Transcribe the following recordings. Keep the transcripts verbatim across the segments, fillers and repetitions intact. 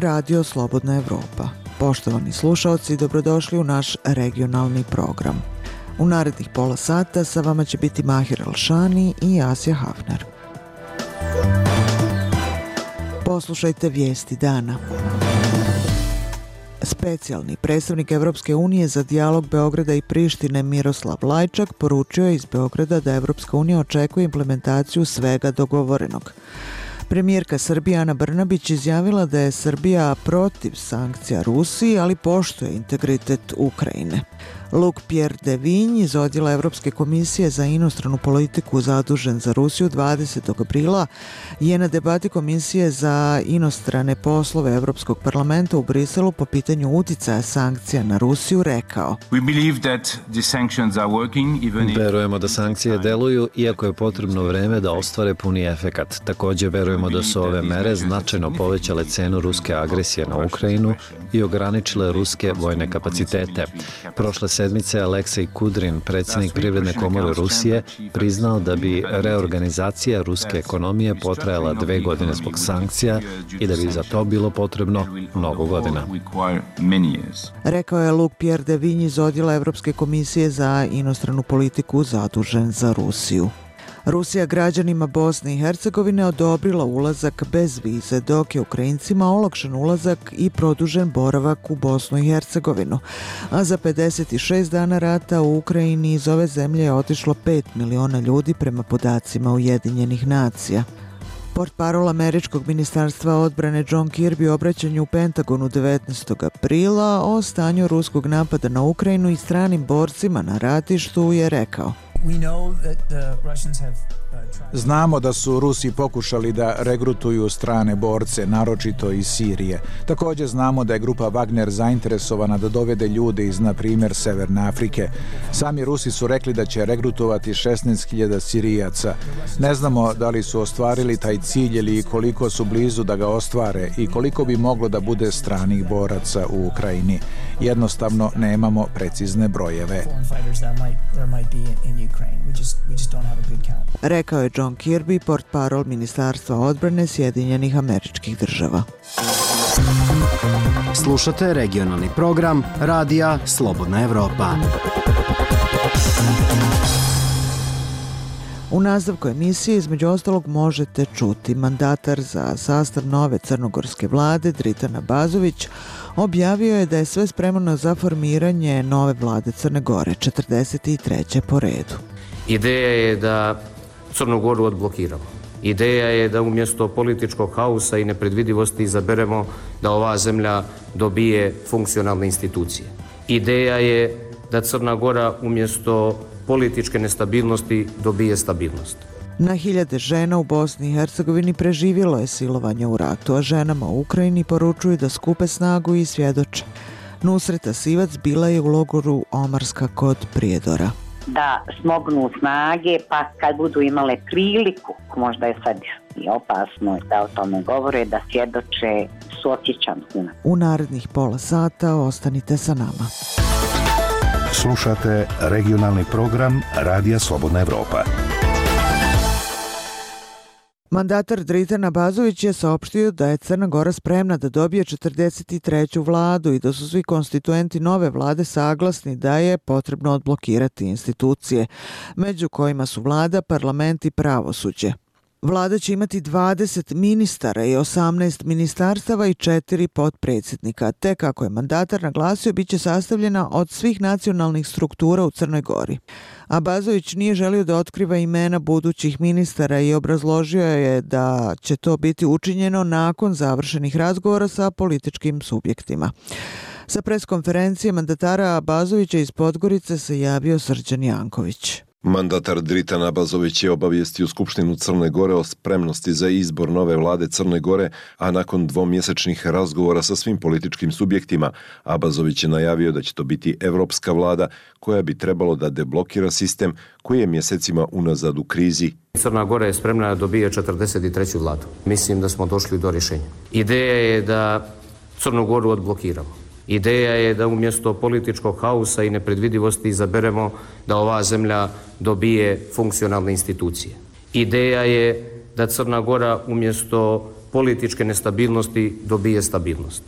je Radio Slobodna Evropa. Poštovani slušaoci, dobrodošli u naš regionalni program. U narednih pola sata sa vama će biti Mahir Alšani i Asja Hafner. Poslušajte vijesti dana. Specijalni predstavnik Evropske unije za dijalog Beograda i Prištine Miroslav Lajčak poručio je iz Beograda da Evropska unija očekuje implementaciju svega dogovorenog. Premijerka Srbije Ana Brnabić izjavila da je Srbija protiv sankcija Rusiji, ali poštuje integritet Ukrajine. Luc Pierre de Vigne iz odjela Evropske komisije za inostranu politiku zadužen za Rusiju dvadesetog aprila je na debati Komisije za inostrane poslove Evropskog parlamenta u Briselu po pitanju uticaja sankcija na Rusiju rekao: Verujemo da sankcije deluju, iako je potrebno vreme da ostvare puni efekat. Također verujemo da su ove mere značajno povećale cenu ruske agresije na Ukrajinu i ograničile ruske vojne kapacitete. Prošle sedmice Aleksej Kudrin, predsjednik Privredne komore Rusije, priznao da bi reorganizacija ruske ekonomije potrajala dve godine zbog sankcija i da bi za to bilo potrebno mnogo godina. Rekao je Luc Pierre de Vigne iz odjela Evropske komisije za inostranu politiku zadužen za Rusiju. Rusija građanima Bosne i Hercegovine odobrila ulazak bez vize, dok je Ukrajincima olakšan ulazak i produžen boravak u Bosnu i Hercegovinu. A za pedeset šest dana rata u Ukrajini iz ove zemlje je otišlo pet miliona ljudi prema podacima Ujedinjenih nacija. Portparol američkog ministarstva odbrane John Kirby u obraćanju u Pentagonu devetnaestog aprila o stanju ruskog napada na Ukrajinu i stranim borcima na ratištu je rekao: Znamo da su Rusi pokušali da regrutuju strane borce, naročito iz Sirije. Također znamo da je grupa Wagner zainteresovana da dovede ljude iz, na primjer, Severne Afrike. Sami Rusi su rekli da će regrutovati šesnaest hiljada Sirijaca. Ne znamo da li su ostvarili taj cilj ili koliko su blizu da ga ostvare i koliko bi moglo da bude stranih boraca u Ukrajini. Jednostavno nemamo precizne brojeve. Rekao je John Kirby, portparol Ministarstva odbrane Sjedinjenih Američkih Država. Slušate regionalni program Radija Slobodna Evropa. U nastavku emisije između ostalog možete čuti mandatar za sastav nove crnogorske vlade Dritan Abazović objavio je da je sve spremno za formiranje nove vlade Crne Gore, četrdeset treće po redu. Ideja je da Crnu Goru odblokiramo. Ideja je da umjesto političkog haosa i nepredvidivosti izaberemo da ova zemlja dobije funkcionalne institucije. Ideja je da Crna Gora umjesto političke nestabilnosti dobije stabilnost. Na hiljade žena u Bosni i Hercegovini preživjelo je silovanje u ratu, a ženama u Ukrajini poručuju da skupe snagu i svjedoče. Nusreta Sivac bila je u logoru Omarska kod Prijedora. Da smognu snage, pa kad budu imale priliku, možda je sad i opasno da o tome govore, da svjedoče suosjećam. U narednih pola sata ostanite sa nama. Slušate regionalni program Radija Slobodna Evropa. Mandatar Dritan Abazović je saopštio da je Crna Gora spremna da dobije četrdeset treću vladu i da su svi konstituenti nove vlade saglasni da je potrebno odblokirati institucije, među kojima su vlada, parlament i pravosuđe. Vlada će imati dvadeset ministara i osamnaest ministarstava i četiri potpredsjednika, te kako je mandatar naglasio, bit će sastavljena od svih nacionalnih struktura u Crnoj Gori. Abazović nije želio da otkriva imena budućih ministara i obrazložio je da će to biti učinjeno nakon završenih razgovora sa političkim subjektima. Sa preskonferencije mandatara Abazovića iz Podgorice se javio Srđan Janković. Mandatar Dritan Abazović je obavijestio Skupštinu Crne Gore o spremnosti za izbor nove vlade Crne Gore, a nakon dvomjesečnih razgovora sa svim političkim subjektima, Abazović je najavio da će to biti evropska vlada koja bi trebalo da deblokira sistem koji je mjesecima unazad u krizi. Crna Gora je spremna da dobije četrdeset treću vladu. Mislim da smo došli do rješenja. Ideja je da Crnu Goru odblokiramo. Ideja je da umjesto političkog haosa i nepredvidivosti izaberemo da ova zemlja dobije funkcionalne institucije. Ideja je da Crna Gora umjesto političke nestabilnosti dobije stabilnost.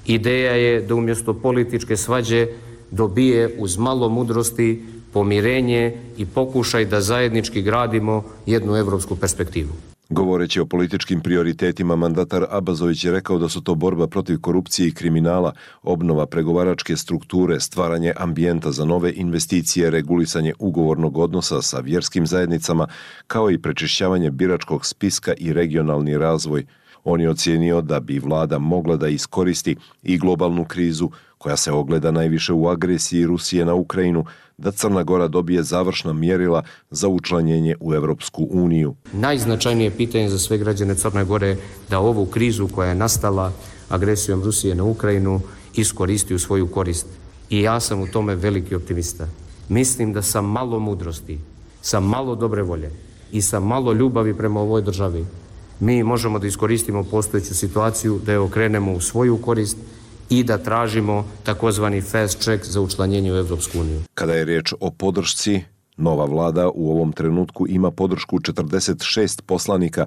Ideja je da umjesto političke svađe dobije uz malo mudrosti pomirenje i pokušaj da zajednički gradimo jednu evropsku perspektivu. Govoreći o političkim prioritetima, mandatar Abazović je rekao da su to borba protiv korupcije i kriminala, obnova pregovaračke strukture, stvaranje ambijenta za nove investicije, regulisanje ugovornog odnosa sa vjerskim zajednicama, kao i prečišćavanje biračkog spiska i regionalni razvoj. On je ocijenio da bi vlada mogla da iskoristi i globalnu krizu, koja se ogleda najviše u agresiji Rusije na Ukrajinu, da Crna Gora dobije završna mjerila za učlanjenje u Evropsku uniju. Najznačajnije pitanje za sve građane Crne Gore da ovu krizu koja je nastala agresijom Rusije na Ukrajinu iskoristi u svoju korist. I ja sam u tome veliki optimista. Mislim da sa malo mudrosti, sa malo dobre volje i sa malo ljubavi prema ovoj državi mi možemo da iskoristimo postojeću situaciju, da je okrenemo u svoju korist i da tražimo takozvani fast track za učlanjenje u Evropsku uniju. Kada je riječ o podršci, nova vlada u ovom trenutku ima podršku četrdeset šest poslanika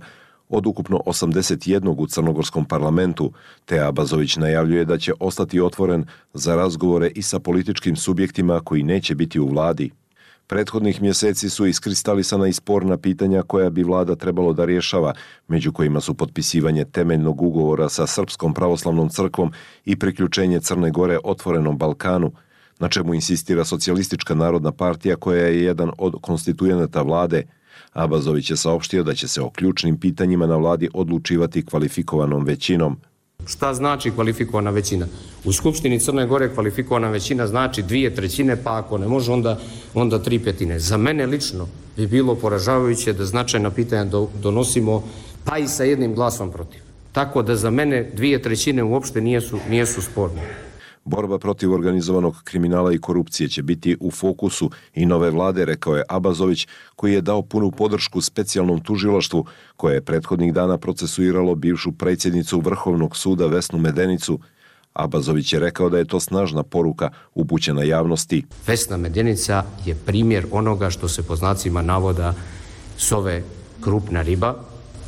od ukupno osamdeset jedan u crnogorskom parlamentu, te Abazović najavljuje da će ostati otvoren za razgovore i sa političkim subjektima koji neće biti u vladi. Prethodnih mjeseci su iskristalisana i sporna pitanja koja bi vlada trebalo da rješava, među kojima su potpisivanje temeljnog ugovora sa Srpskom pravoslavnom crkvom i priključenje Crne Gore otvorenom Balkanu, na čemu insistira Socijalistička narodna partija koja je jedan od konstitujenata vlade. Abazović je saopštio da će se o ključnim pitanjima na vladi odlučivati kvalifikovanom većinom. Šta znači kvalifikovana većina? U Skupštini Crne Gore kvalifikovana većina znači dvije trećine, pa ako ne može onda, onda tri petine. Za mene lično bi bilo poražavajuće da značajna pitanja donosimo pa i sa jednim glasom protiv. Tako da za mene dvije trećine uopšte nijesu, nijesu sporne. Borba protiv organizovanog kriminala i korupcije će biti u fokusu i nove vlade, rekao je Abazović, koji je dao punu podršku specijalnom tužilaštvu koje je prethodnih dana procesuiralo bivšu predsjednicu Vrhovnog suda Vesnu Medenicu. Abazović je rekao da je to snažna poruka upućena javnosti. Vesna Medenica je primjer onoga što se po znacima navoda zove krupna riba.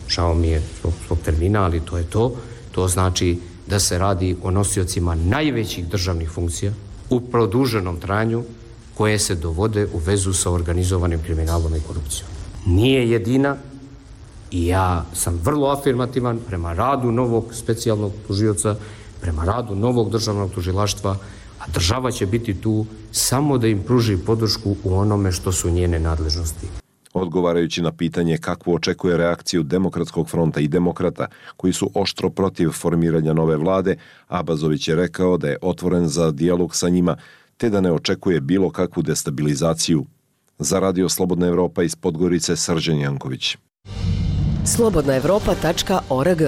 Žao mi je svog termina, ali to je to. To znači da se radi o nosiocima najvećih državnih funkcija u produženom trajanju koje se dovode u vezu sa organizovanim kriminalom i korupcijom. Nije jedina i ja sam vrlo afirmativan prema radu novog specijalnog tužioca, prema radu novog državnog tužilaštva, a država će biti tu samo da im pruži podršku u onome što su njene nadležnosti. Odgovarajući na pitanje kakvu očekuje reakciju Demokratskog fronta i demokrata, koji su oštro protiv formiranja nove vlade, Abazović je rekao da je otvoren za dijalog sa njima, te da ne očekuje bilo kakvu destabilizaciju. Za Radio Slobodna Evropa iz Podgorice, Srđan Janković. slobodna evropa tačka org.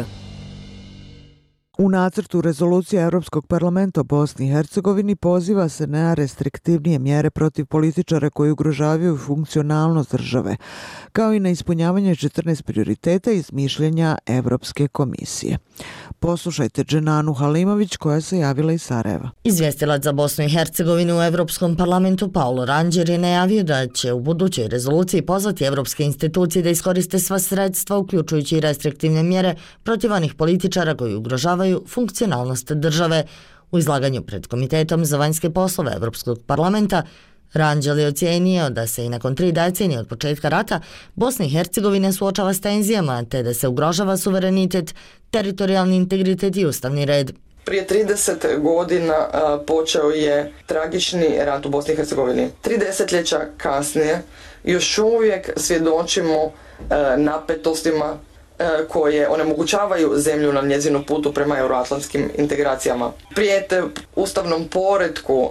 U nacrtu rezolucije Europskog parlamenta o Bosni i Hercegovini poziva se na restriktivnije mjere protiv političara koji ugrožavaju funkcionalnost države, kao i na ispunjavanje četrnaest prioriteta iz mišljenja Evropske komisije. Poslušajte Dženanu Halimović koja se javila iz Sarajeva. Izvjestilac za Bosnu i Hercegovinu u Evropskom parlamentu Paulo Ranđer je najavio da će u budućoj rezoluciji pozvati evropske institucije da iskoriste sva sredstva, uključujući i restriktivne mjere protiv onih političara koji ugrožavaju funkcionalnost države. U izlaganju pred Komitetom za vanjske poslove Evropskog parlamenta Ranđel je ocijenio da se i nakon tri decenije od početka rata Bosna i Hercegovina suočava s tenzijama, te da se ugrožava suverenitet, teritorijalni integritet i ustavni red. Prije trideset godina a, počeo je tragični rat u Bosni i Hercegovini. Tri desetljeća kasnije još uvijek svjedočimo a, napetostima koje onemogućavaju zemlju na njezinu putu prema euroatlantskim integracijama. Prijete ustavnom poretku uh,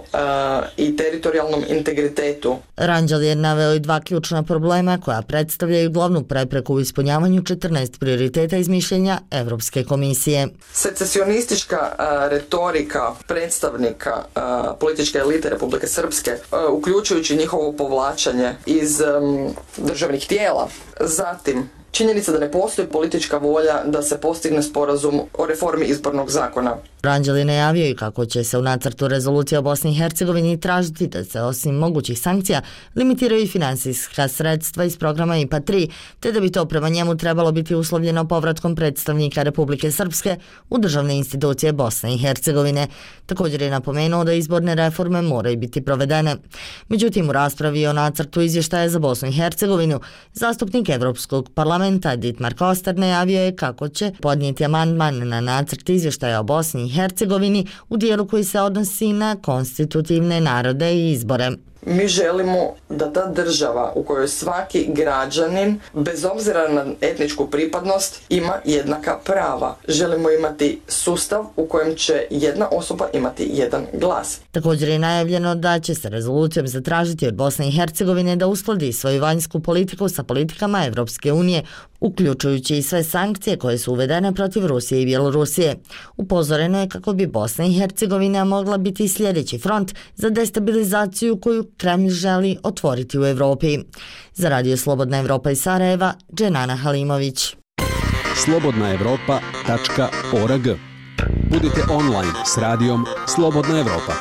i teritorijalnom integritetu. Ranđel je naveo i dva ključna problema koja predstavljaju glavnu prepreku u ispunjavanju četrnaest prioriteta iz mišljenja Evropske komisije. Secesionistička uh, retorika predstavnika uh, političke elite Republike Srpske, uh, uključujući njihovo povlačenje iz um, državnih tijela. Zatim, činjenica da ne postoji politička volja da se postigne sporazum o reformi izbornog zakona. Ranđel je najavio i kako će se u nacrtu rezolucije o Bosni i Hercegovini tražiti da se osim mogućih sankcija limitiraju i finansijska sredstva iz programa I P A tri, te da bi to prema njemu trebalo biti uslovljeno povratkom predstavnika Republike Srpske u državne institucije Bosne i Hercegovine. Također je napomenuo da izborne reforme moraju biti provedene. Međutim, u raspravi o nacrtu izvještaja za Bosnu i Hercegovinu, zastupnik Evropskog parlamenta Dietmar Koster najavio je kako će podnijeti amandman na nacrt izvještaja o Bosni i Hercegovini u dijelu koji se odnosi na konstitutivne narode i izbore. Mi želimo da ta država u kojoj svaki građanin, bez obzira na etničku pripadnost, ima jednaka prava. Želimo imati sustav u kojem će jedna osoba imati jedan glas. Također je najavljeno da će se rezolucijom zatražiti od Bosne i Hercegovine da uskladi svoju vanjsku politiku sa politikama Evropske unije, uključujući i sve sankcije koje su uvedene protiv Rusije i Bjelorusije. Upozoreno je kako bi Bosna i Hercegovina mogla biti sljedeći front za destabilizaciju koju Kremlj želi otvoriti u Evropi. Za Radio Slobodna Evropa iz Sarajeva, Dženana Halimović. slobodna evropa tačka org. Budite online s radijom Slobodna Evropa.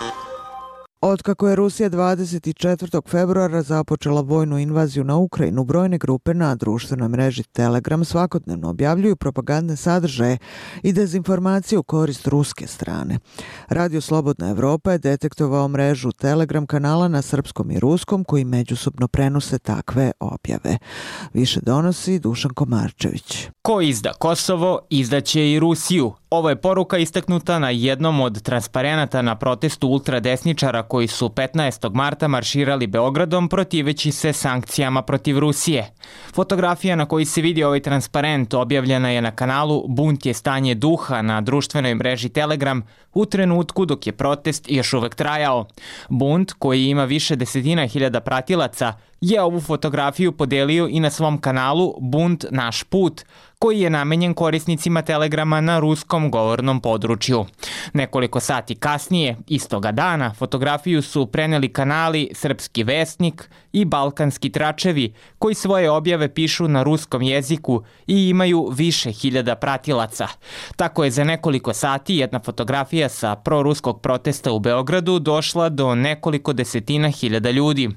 Otkako je Rusija dvadeset četvrtog februara započela vojnu invaziju na Ukrajinu, brojne grupe na društvenoj mreži Telegram svakodnevno objavljuju propagandne sadržaje i dezinformacije u korist ruske strane. Radio Slobodna Evropa je detektovao mrežu Telegram kanala na srpskom i ruskom koji međusobno prenose takve objave. Više donosi Dušan Komarčević. Ko izda Kosovo, izdaće i Rusiju. Ovo je poruka istaknuta na jednom od transparenata na protestu ultradesničara koji su petnaestog marta marširali Beogradom protiveći se sankcijama protiv Rusije. Fotografija na kojoj se vidi ovaj transparent objavljena je na kanalu Bunt je stanje duha na društvenoj mreži Telegram u trenutku dok je protest još uvek trajao. Bunt, koji ima više desetina hiljada pratilaca, je ovu fotografiju podelio i na svom kanalu Bunt naš put, koji je namenjen korisnicima Telegrama na ruskom govornom području. Nekoliko sati kasnije, istoga dana, fotografiju su preneli kanali Srpski Vesnik i Balkanski tračevi, koji svoje objave pišu na ruskom jeziku i imaju više hiljada pratilaca. Tako je za nekoliko sati jedna fotografija sa proruskog protesta u Beogradu došla do nekoliko desetina hiljada ljudi.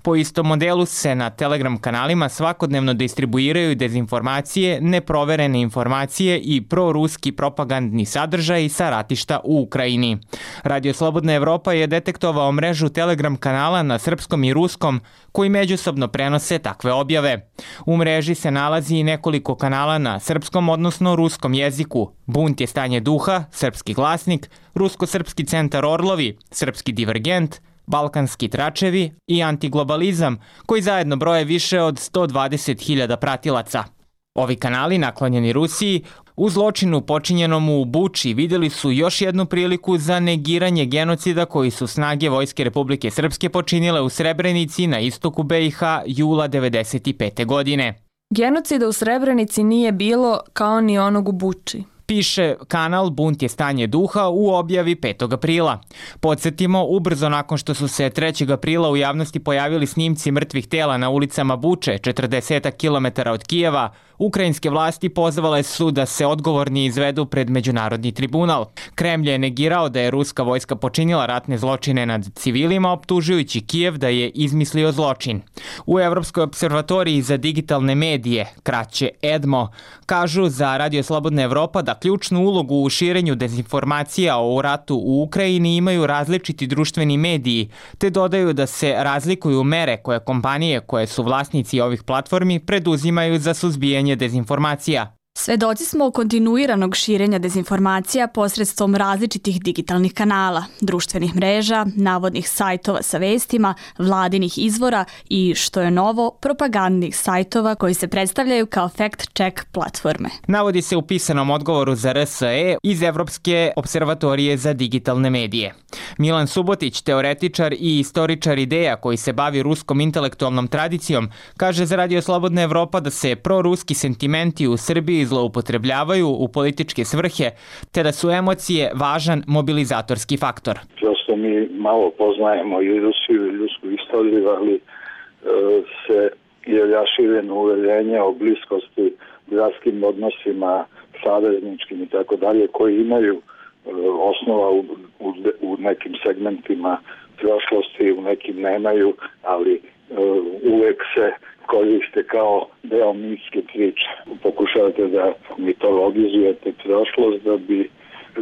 Po istom modelu se na Telegram kanalima svakodnevno distribuiraju dezinformacije, neproverene informacije i proruski propagandni sadržaj sa ratišta u Ukrajini. Radio Slobodna Evropa je detektovao mrežu Telegram kanala na srpskom i ruskom koji međusobno prenose takve objave. U mreži se nalazi i nekoliko kanala na srpskom, odnosno ruskom jeziku. Bunt je stanje duha, Srpski glasnik, Rusko-srpski centar Orlovi, Srpski divergent, Balkanski tračevi i Antiglobalizam, koji zajedno broje više od sto dvadeset hiljada pratilaca. Ovi kanali, naklonjeni Rusiji, u zločinu počinjenom u Buči vidjeli su još jednu priliku za negiranje genocida koji su snage Vojske Republike Srpske počinile u Srebrenici na istoku B i H jula devedeset pete. godine. Genocida u Srebrenici nije bilo kao ni onog u Buči, piše kanal Bunt je stanje duha u objavi petog aprila. Podsjetimo, ubrzo nakon što su se trećeg aprila u javnosti pojavili snimci mrtvih tela na ulicama Buče, četrdeset kilometara od Kijeva, ukrajinske vlasti pozvale su da se odgovorni izvedu pred međunarodni tribunal. Kremlj je negirao da je ruska vojska počinila ratne zločine nad civilima, optužujući Kijev da je izmislio zločin. U Evropskoj observatoriji za digitalne medije, kraće EDMO, kažu za Radio Slobodna Evropa da ključnu ulogu u širenju dezinformacija o ratu u Ukrajini imaju različiti društveni mediji, te dodaju da se razlikuju mere koje kompanije koje su vlasnici ovih platformi preduzimaju za suzbijanje dezinformacija. Svedoci smo kontinuiranog širenja dezinformacija posredstvom različitih digitalnih kanala, društvenih mreža, navodnih sajtova sa vestima, vladinih izvora i, što je novo, propagandnih sajtova koji se predstavljaju kao fact-check platforme. Navodi se u pisanom odgovoru za R S E iz Evropske observatorije za digitalne medije. Milan Subotić, teoretičar i istoričar ideja koji se bavi ruskom intelektualnom tradicijom, kaže za Radio Slobodna Evropa da se proruski sentimenti u Srbiji zloupotrebljavaju u političke svrhe, te da su emocije važan mobilizatorski faktor. Prosto mi malo poznajemo i Rusiju i rusku istoriju, ali e, se jer ja širim uverenje o bliskosti, gradskim odnosima, savezničkim i tako dalje, koji imaju osnova u, u, u nekim segmentima prošlosti, u nekim nemaju, ali uh, uvek se koriste kao deo mitske priče. Pokušavate da mitologizujete prošlost da bi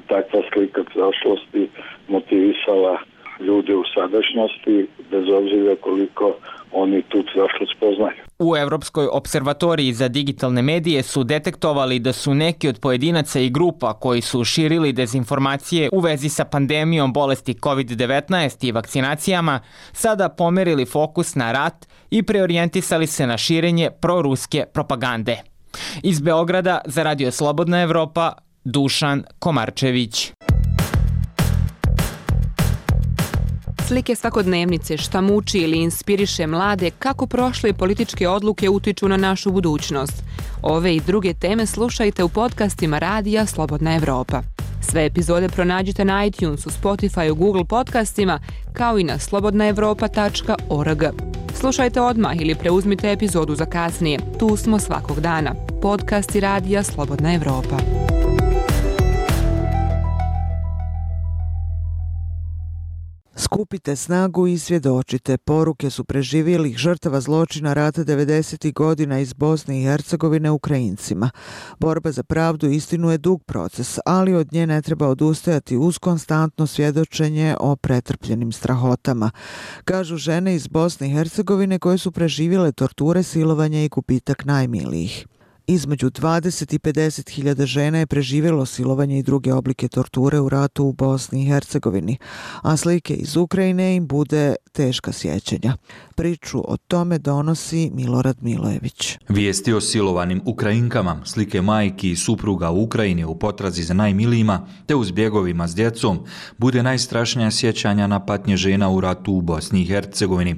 takva slika prošlosti motivisala ljude u sadašnjosti, bez obzira koliko oni tu prošlost poznaju. U Evropskoj observatoriji za digitalne medije su detektovali da su neki od pojedinaca i grupa koji su širili dezinformacije u vezi sa pandemijom bolesti kovid devetnaest i vakcinacijama sada pomerili fokus na rat i preorijentisali se na širenje proruske propagande. Iz Beograda za Radio Slobodna Evropa, Dušan Komarčević. Slike svakodnevnice šta muči ili inspiriše mlade kako prošle političke odluke utiču na našu budućnost. Ove i druge teme slušajte u podcastima Radija Slobodna Evropa. Sve epizode pronađite na iTunesu, Spotifyu, Google podcastima, kao i na slobodna evropa tačka org. Slušajte odmah ili preuzmite epizodu za kasnije. Tu smo svakog dana. Podcasti Radija Slobodna Evropa. Skupite snagu i svjedočite. Poruke su preživjelih žrtava zločina rata devedesetih godina iz Bosne i Hercegovine Ukrajincima. Borba za pravdu i istinu je dug proces, ali od nje ne treba odustajati uz konstantno svjedočenje o pretrpljenim strahotama. Kažu žene iz Bosne i Hercegovine koje su preživjele torture, silovanje i gubitak najmilijih. Između dvadeset i pedeset hiljada žena je preživjelo silovanje i druge oblike torture u ratu u Bosni i Hercegovini, a slike iz Ukrajine im bude teška sjećanja. Priču o tome donosi Milorad Milojević. Vijesti o silovanim Ukrajinkama, slike majki i supruga u Ukrajini u potrazi za najmilijima, te uz bjegovima s djecom, bude najstrašnija sjećanja na patnje žena u ratu u Bosni i Hercegovini.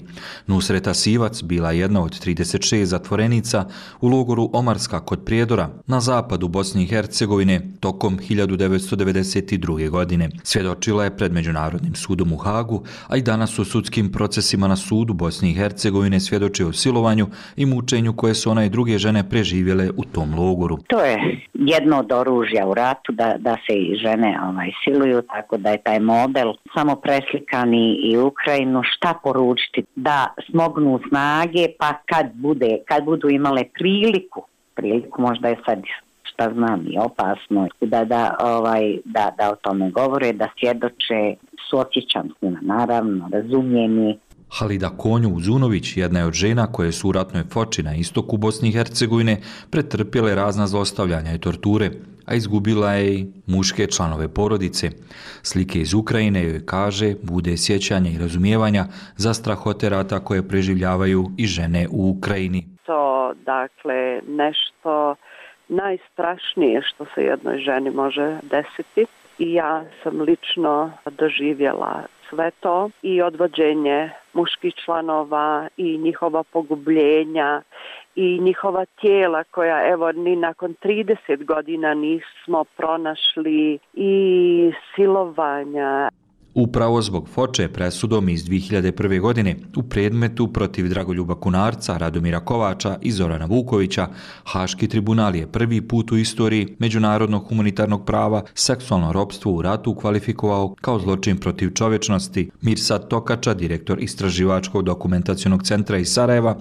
Nusreta Sivac bila jedna od trideset šest zatvorenica u logoru Omarska kod Prijedora na zapadu Bosne i Hercegovine tokom hiljadu devetsto devedeset druge. godine. Svjedočila je pred Međunarodnim sudom u Hagu, a i danas u sudskim procesima na sudu Bosne i Hercegovine svjedoči o silovanju i mučenju koje su ona i druge žene preživjele u tom logoru. To je jedno od oružja u ratu, da, da se i žene ovaj, siluju, tako da je taj model samo preslikani i Ukrajinu. Šta poručiti? Da smognu snage, pa kad bude, kad budu imale priliku, priliku možda je sad, šta znam, i opasno, da, da, ovaj, da, da o tome govore, da svjedoče, suosjećam s njima, naravno, razumijeni. Halida Konju-Uzunović jedna je od žena koje su u ratnoj Foči na istoku Bosne i Hercegovine pretrpjele razna zlostavljanja i torture, a izgubila je i muške članove porodice. Slike iz Ukrajine joj kaže bude sjećanja i razumijevanja za strahote rata koje preživljavaju i žene u Ukrajini. To, dakle, nešto najstrašnije što se jednoj ženi može desiti i ja sam lično doživjela sve to i odvođenje muških članova i njihova pogubljenja i njihova tijela koja evo ni nakon trideset godina nismo pronašli i silovanja. Upravo zbog Foče presudom iz dvije hiljade prve. godine u predmetu protiv Dragoljuba Kunarca, Radomira Kovača i Zorana Vukovića, Haški tribunal je prvi put u istoriji međunarodnog humanitarnog prava seksualno ropstvo u ratu kvalifikovao kao zločin protiv čovječnosti. Mirsad Tokača, direktor Istraživačkog dokumentacionog centra iz Sarajeva,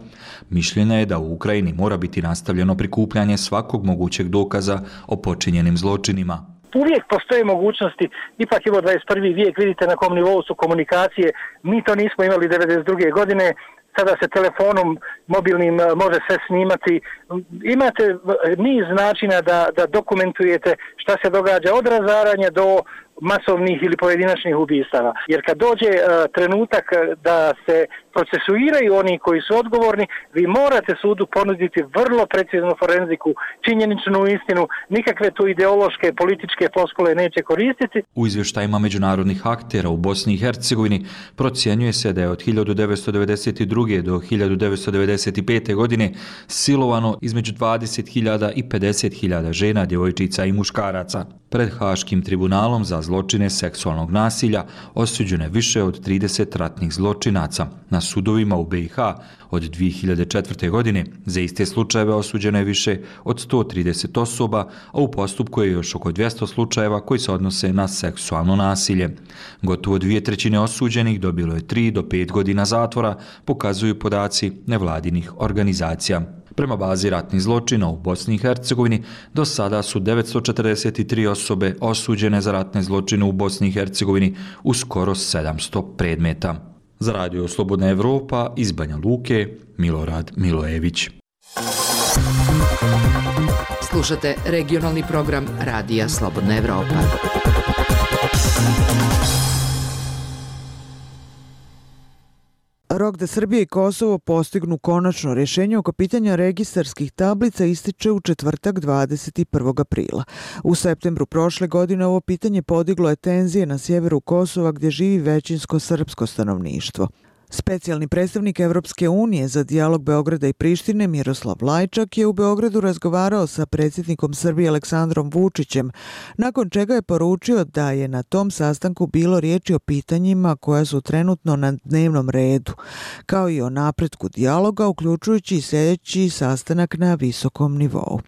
mišljenja je da u Ukrajini mora biti nastavljeno prikupljanje svakog mogućeg dokaza o počinjenim zločinima. Uvijek postoje mogućnosti, ipak je ovo dvadeset prvi vijek, vidite na kom nivou su komunikacije, mi to nismo imali devedeset druge. godine, sada se telefonom mobilnim može sve snimati. Imate niz načina da, da dokumentujete šta se događa od razaranja do masovnih ili pojedinačnih ubistava. Jer kad dođe uh, trenutak da se procesuiraju oni koji su odgovorni, vi morate sudu ponuditi vrlo preciznu forenziku, činjeničnu istinu, nikakve tu ideološke, političke floskule neće koristiti. U izvještajima međunarodnih aktera u Bosni i Hercegovini procjenjuje se da je od hiljadu devetsto devedeset druge. do hiljadu devetsto devedeset pete. godine silovano između dvadeset hiljada i pedeset hiljada žena, djevojčica i muškaraca. Pred Haškim tribunalom za zločine seksualnog nasilja osuđeno je više od trideset ratnih zločinaca. Na sudovima u B i H od dvije hiljade četvrte. godine za iste slučajeve osuđeno je više od sto trideset osoba, a u postupku je još oko dvjesto slučajeva koji se odnose na seksualno nasilje. Gotovo dvije trećine osuđenih dobilo je tri do pet godina zatvora, pokazuju podaci nevladinih organizacija. Prema bazi ratnih zločina u Bosni i Hercegovini do sada su devetsto četrdeset tri osobe osuđene za ratne zločine u Bosni i Hercegovini u skoro sedamsto predmeta. Za Radio Slobodna Evropa iz Banja Luke, Milorad Milojević. Slušate regionalni program Radija Slobodna Evropa. Rok da Srbija i Kosovo postignu konačno rješenje oko pitanja registarskih tablica ističe u četvrtak dvadeset prvog aprila. U septembru prošle godine ovo pitanje podiglo je tenzije na sjeveru Kosova gdje živi većinsko srpsko stanovništvo. Specijalni predstavnik Evropske unije za dijalog Beograda i Prištine Miroslav Lajčak je u Beogradu razgovarao sa predsjednikom Srbije Aleksandrom Vučićem, nakon čega je poručio da je na tom sastanku bilo riječi o pitanjima koja su trenutno na dnevnom redu, kao i o napretku dijaloga, uključujući i sljedeći sastanak na visokom nivou.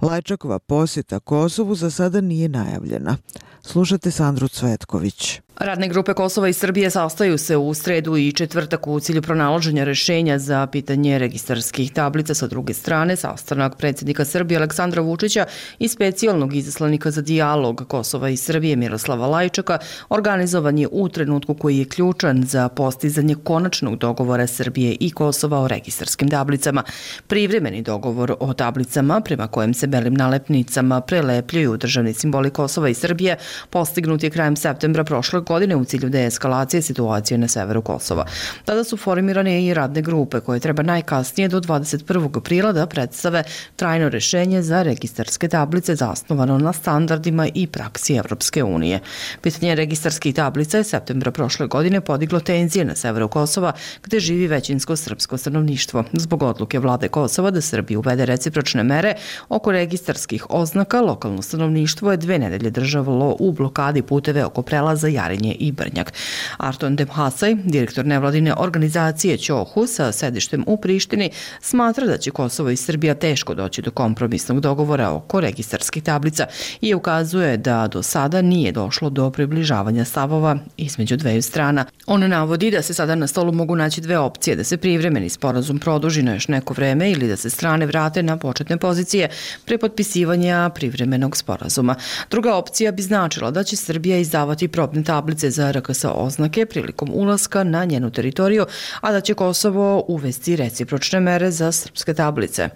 Lajčakova posjeta Kosovu za sada nije najavljena. Slušate Sandru Cvetković. Radne grupe Kosova i Srbije sastaju se u sredu i četvrtak u cilju pronalaženja rješenja za pitanje registarskih tablica. Sa druge strane, sastanak predsjednika Srbije Aleksandra Vučića i specijalnog izaslanika za dijalog Kosova i Srbije Miroslava Lajčaka organizovan je u trenutku koji je ključan za postizanje konačnog dogovora Srbije i Kosova o registarskim tablicama. Privremeni dogovor o tablicama, prema kojem se belim nalepnicama prelepljuju državni simboli Kosova i Srbije, postignut je krajem septembra prošle godine u cilju deeskalacije situacije na severu Kosova. Tada su formirane i radne grupe koje treba najkasnije do dvadeset prvog aprila da predstave trajno rješenje za registarske tablice zasnovano na standardima i praksi Evropske unije. Pitanje registarskih tablica je septembra prošle godine podiglo tenzije na severu Kosova gdje živi većinsko srpsko stanovništvo. Zbog odluke vlade Kosova da Srbiji uvede recipročne mere oko registarskih oznaka, lokalno stanovništvo je dve nedelje držalo u blokadi puteve oko prelaza Jarinje i Brnjak. Arton Demhasaj, direktor nevladine organizacije Ćohu sa sedištem u Prištini, smatra da će Kosovo i Srbija teško doći do kompromisnog dogovora oko registarskih tablica i ukazuje da do sada nije došlo do približavanja stavova između dveju strana. On navodi da se sada na stolu mogu naći dve opcije, da se privremeni sporazum produži na još neko vreme ili da se strane vrate na početne pozicije pre potpisivanja privremenog sporazuma. Druga opcija bi značila da će Srbija izdavati probne tablice za R K S oznake prilikom ulaska na njenu teritoriju, a da će Kosovo uvesti recipročne mere za srpske tablice.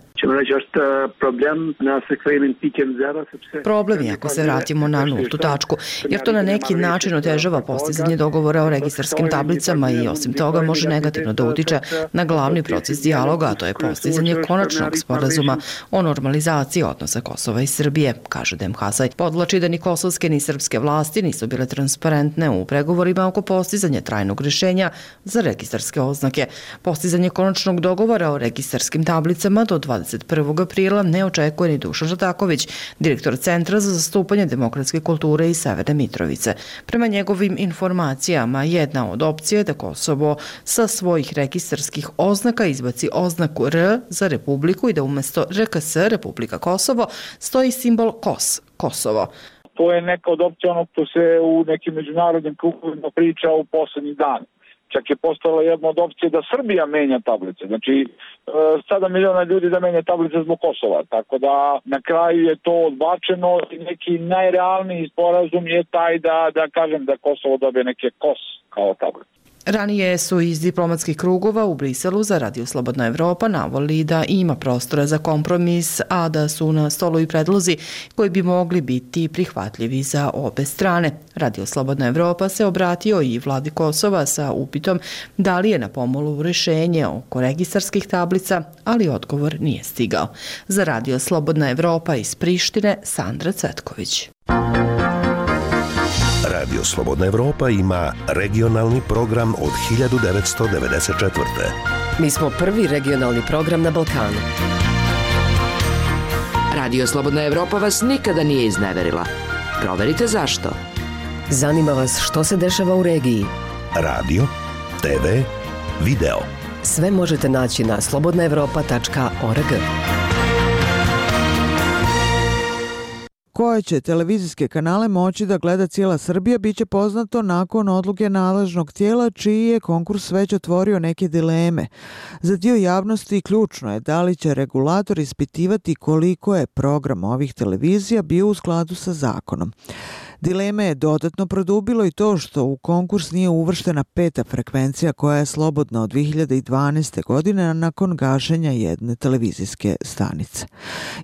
Problem je ako se vratimo na nultu tačku, jer to na neki način otežava postizanje dogovora o registarskim tablicama i osim toga može negativno da utiče na glavni proces dijaloga, a to je postizanje konačnog sporazuma o normalizaciji odnosa Kosova i Srbije, kaže Demhasaj. Podvlači da ni kosovske ni srpske vlasti nisu bile transparentne u pregovorima oko postizanja trajnog rješenja za registarske oznake. Postizanje konačnog dogovora o registarskim tablicama do dvadeset prvog aprila ne očekuje ni Dušan Žataković, direktor Centra za zastupanje demokratske kulture iz Severne Mitrovice. Prema njegovim informacijama, jedna od opcija je da Kosovo sa svojih registarskih oznaka izbaci oznaku R za Republiku i da umjesto R K S, Republika Kosovo, stoji simbol Kos, Kosovo. To je neka od opcija onog što se u nekim međunarodnim krugovima priča u poslednjih dana. Čak je postala jedna od opcije da Srbija menja tablice. Znači, sada miliona ljudi da menja tablice zbog Kosova. Tako da na kraju je to odbačeno i neki najrealniji sporazum je taj da, da kažem da Kosovo dobije neke Kos kao tablice. Ranije su iz diplomatskih krugova u Briselu za Radio Slobodna Evropa navoli da ima prostora za kompromis, a da su na stolu i predlozi koji bi mogli biti prihvatljivi za obe strane. Radio Slobodna Evropa se obratio i vladi Kosova sa upitom da li je na pomolu rješenje oko registarskih tablica, ali odgovor nije stigao. Za Radio Slobodna Evropa iz Prištine, Sandra Cvetković. Radio Slobodna Evropa ima regionalni program od hiljadu devetsto devedeset četvrte. Mi smo prvi regionalni program na Balkanu. Radio Slobodna Evropa vas nikada nije izneverila. Proverite zašto. Zanima vas što se dešava u regiji? Radio, te ve, video. Sve možete naći na slobodna evropa tačka org. Koje će televizijske kanale moći da gleda cijela Srbija biće poznato nakon odluke nadležnog tijela čiji je konkurs već otvorio neke dileme. Za dio javnosti ključno je da li će regulator ispitivati koliko je program ovih televizija bio u skladu sa zakonom. Dileme je dodatno produbilo i to što u konkurs nije uvrštena peta frekvencija koja je slobodna od dvije hiljade dvanaeste. godine nakon gašenja jedne televizijske stanice.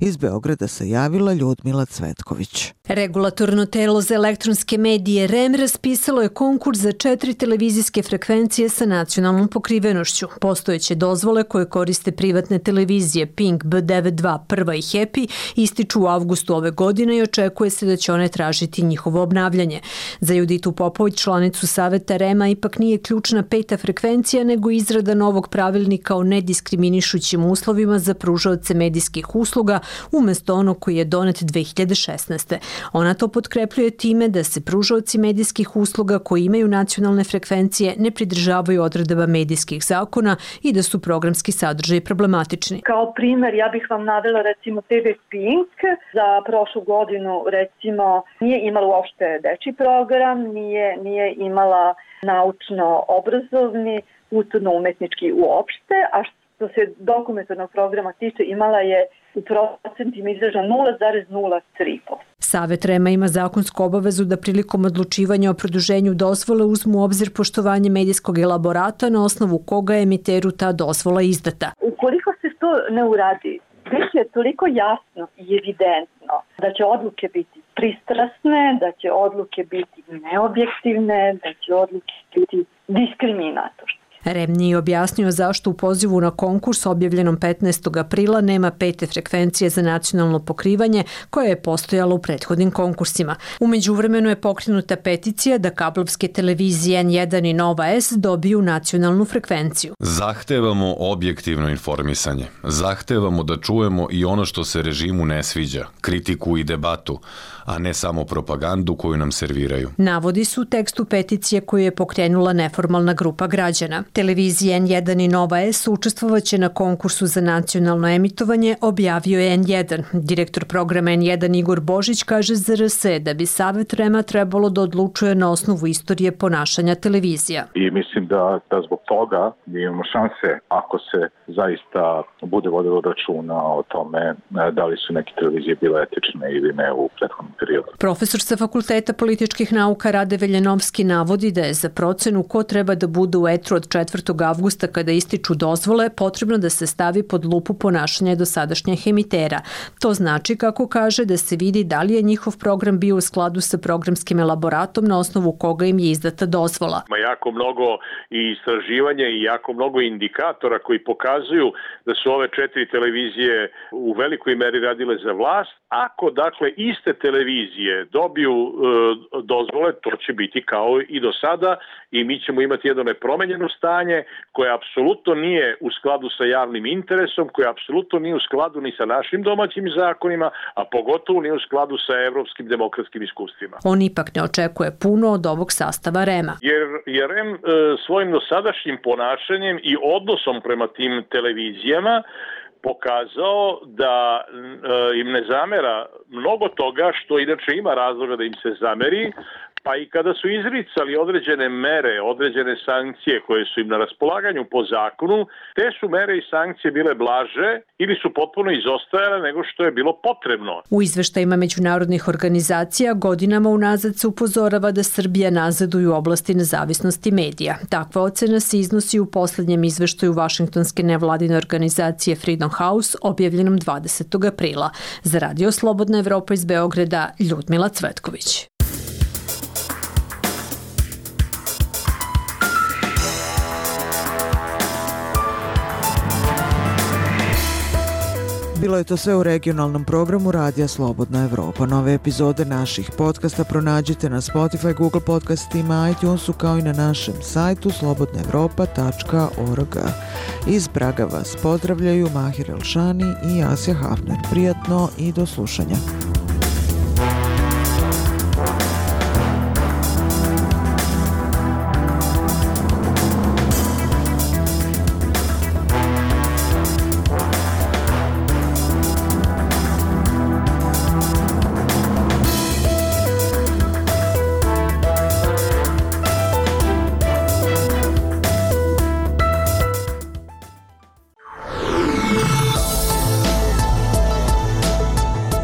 Iz Beograda se javila Ljudmila Cvetković. Regulatorno telo za elektronske medije R E M raspisalo je konkurs za četiri televizijske frekvencije sa nacionalnom pokrivenošću. Postojeće dozvole koje koriste privatne televizije Pink, B devedeset dva, Prva i Happy ističu u avgustu ove godine i očekuje se da će one tražiti njihovo obnavljanje. Za Juditu Popović, članicu Saveta R E M-a, ipak nije ključna peta frekvencija, nego izrada novog pravilnika o nediskriminišućim uslovima za pružaoce medijskih usluga umjesto onog koji je donet dve hiljade šesnaeste. Ona to potkrepljuje time da se pružaoci medijskih usluga koji imaju nacionalne frekvencije ne pridržavaju odredaba medijskih zakona i da su programski sadržaji problematični. Kao primjer, ja bih vam navela recimo te ve Pink. Za prošlu godinu recimo nije imala uopšte dečji program, nije, nije imala naučno-obrazovni, kulturno-umetnički uopšte, a što se dokumentarnog programa tiče imala je u procentima izražena nula zarez nula tri posto. Savet R E M-a ima zakonsku obavezu da prilikom odlučivanja o produženju dozvole uzmu u obzir poštovanje medijskog elaborata na osnovu koga je emiteru ta dozvola izdata. Ukoliko se to ne uradi, već je toliko jasno i evidentno da će odluke biti pristrasne, da će odluke biti neobjektivne, da će odluke biti diskriminatorne. R E M nije objasnio zašto u pozivu na konkurs objavljenom petnaestog aprila nema pete frekvencije za nacionalno pokrivanje koja je postojala u prethodnim konkursima. U međuvremenu je pokrenuta peticija da kablovske televizije N jedan i Nova S dobiju nacionalnu frekvenciju. Zahtevamo objektivno informisanje. Zahtevamo da čujemo i ono što se režimu ne sviđa, kritiku i debatu, a ne samo propagandu koju nam serviraju. Navodi su u tekstu peticije koju je pokrenula neformalna grupa građana. Televizija N jedan i Nova S učestvovaće na konkursu za nacionalno emitovanje, objavio je N jedan. Direktor programa N jedan Igor Božić kaže za R S da bi Savet R E M-a trebalo da odlučuje na osnovu istorije ponašanja televizija. I mislim da, da zbog toga imamo šanse ako se zaista bude vodilo računa o tome da li su neke televizije bile etične ili ne u prethodnom periodu. Profesor sa Fakulteta političkih nauka Rade Veljanovski navodi da je za procenu ko treba da bude u etru od četvrtog avgusta kada ističu dozvole potrebno da se stavi pod lupu ponašanja dosadašnjih emitera. To znači, kako kaže, da se vidi da li je njihov program bio u skladu sa programskim elaboratom na osnovu koga im je izdata dozvola. Ima jako mnogo i istraživanja i jako mnogo indikatora koji pokazuju da su ove četiri televizije u velikoj meri radile za vlast. Ako, dakle, iste televizije dobiju e, dozvole, to će biti kao i do sada i mi ćemo imati jedno nepromenjeno stanje koje apsolutno nije u skladu sa javnim interesom, koje apsolutno nije u skladu ni sa našim domaćim zakonima, a pogotovo nije u skladu sa evropskim demokratskim iskustvima. On ipak ne očekuje puno od ovog sastava R E M-a. Jer, jer R E M e, svojim dosadašnjim ponašanjem i odnosom prema tim televizijama pokazao da e, im ne zamera mnogo toga što inače ima razloga da im se zameri, pa i kada su izricali određene mere, određene sankcije koje su im na raspolaganju po zakonu, te su mere i sankcije bile blaže ili su potpuno izostajale nego što je bilo potrebno. U izveštajima međunarodnih organizacija godinama unazad se upozorava da Srbija nazaduje u oblasti nezavisnosti medija. Takva ocena se iznosi u posljednjem izveštaju Vašingtonske nevladine organizacije Freedom House objavljenom dvadesetog aprila. Za Radio Slobodna Evropa iz Beograda, Ljudmila Cvetković. Bilo je to sve u regionalnom programu Radija Slobodna Evropa. Nove epizode naših podcasta pronađite na Spotify, Google podcastima, iTunesu kao i na našem sajtu slobodna evropa tačka org. Iz Praga vas pozdravljaju Mahir Elšani i Asja Hafner. Prijatno i do slušanja.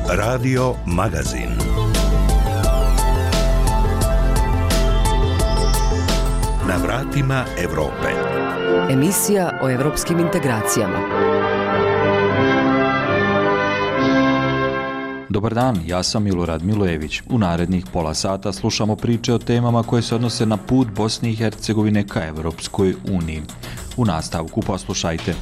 Radio Magazin. Na vratima Evrope. Emisija o evropskim integracijama. Dobar dan, ja sam Milorad Milojević. U narednih pola sata slušamo priče o temama koje se odnose na put Bosne i Hercegovine ka Evropskoj uniji. U nastavku poslušajte.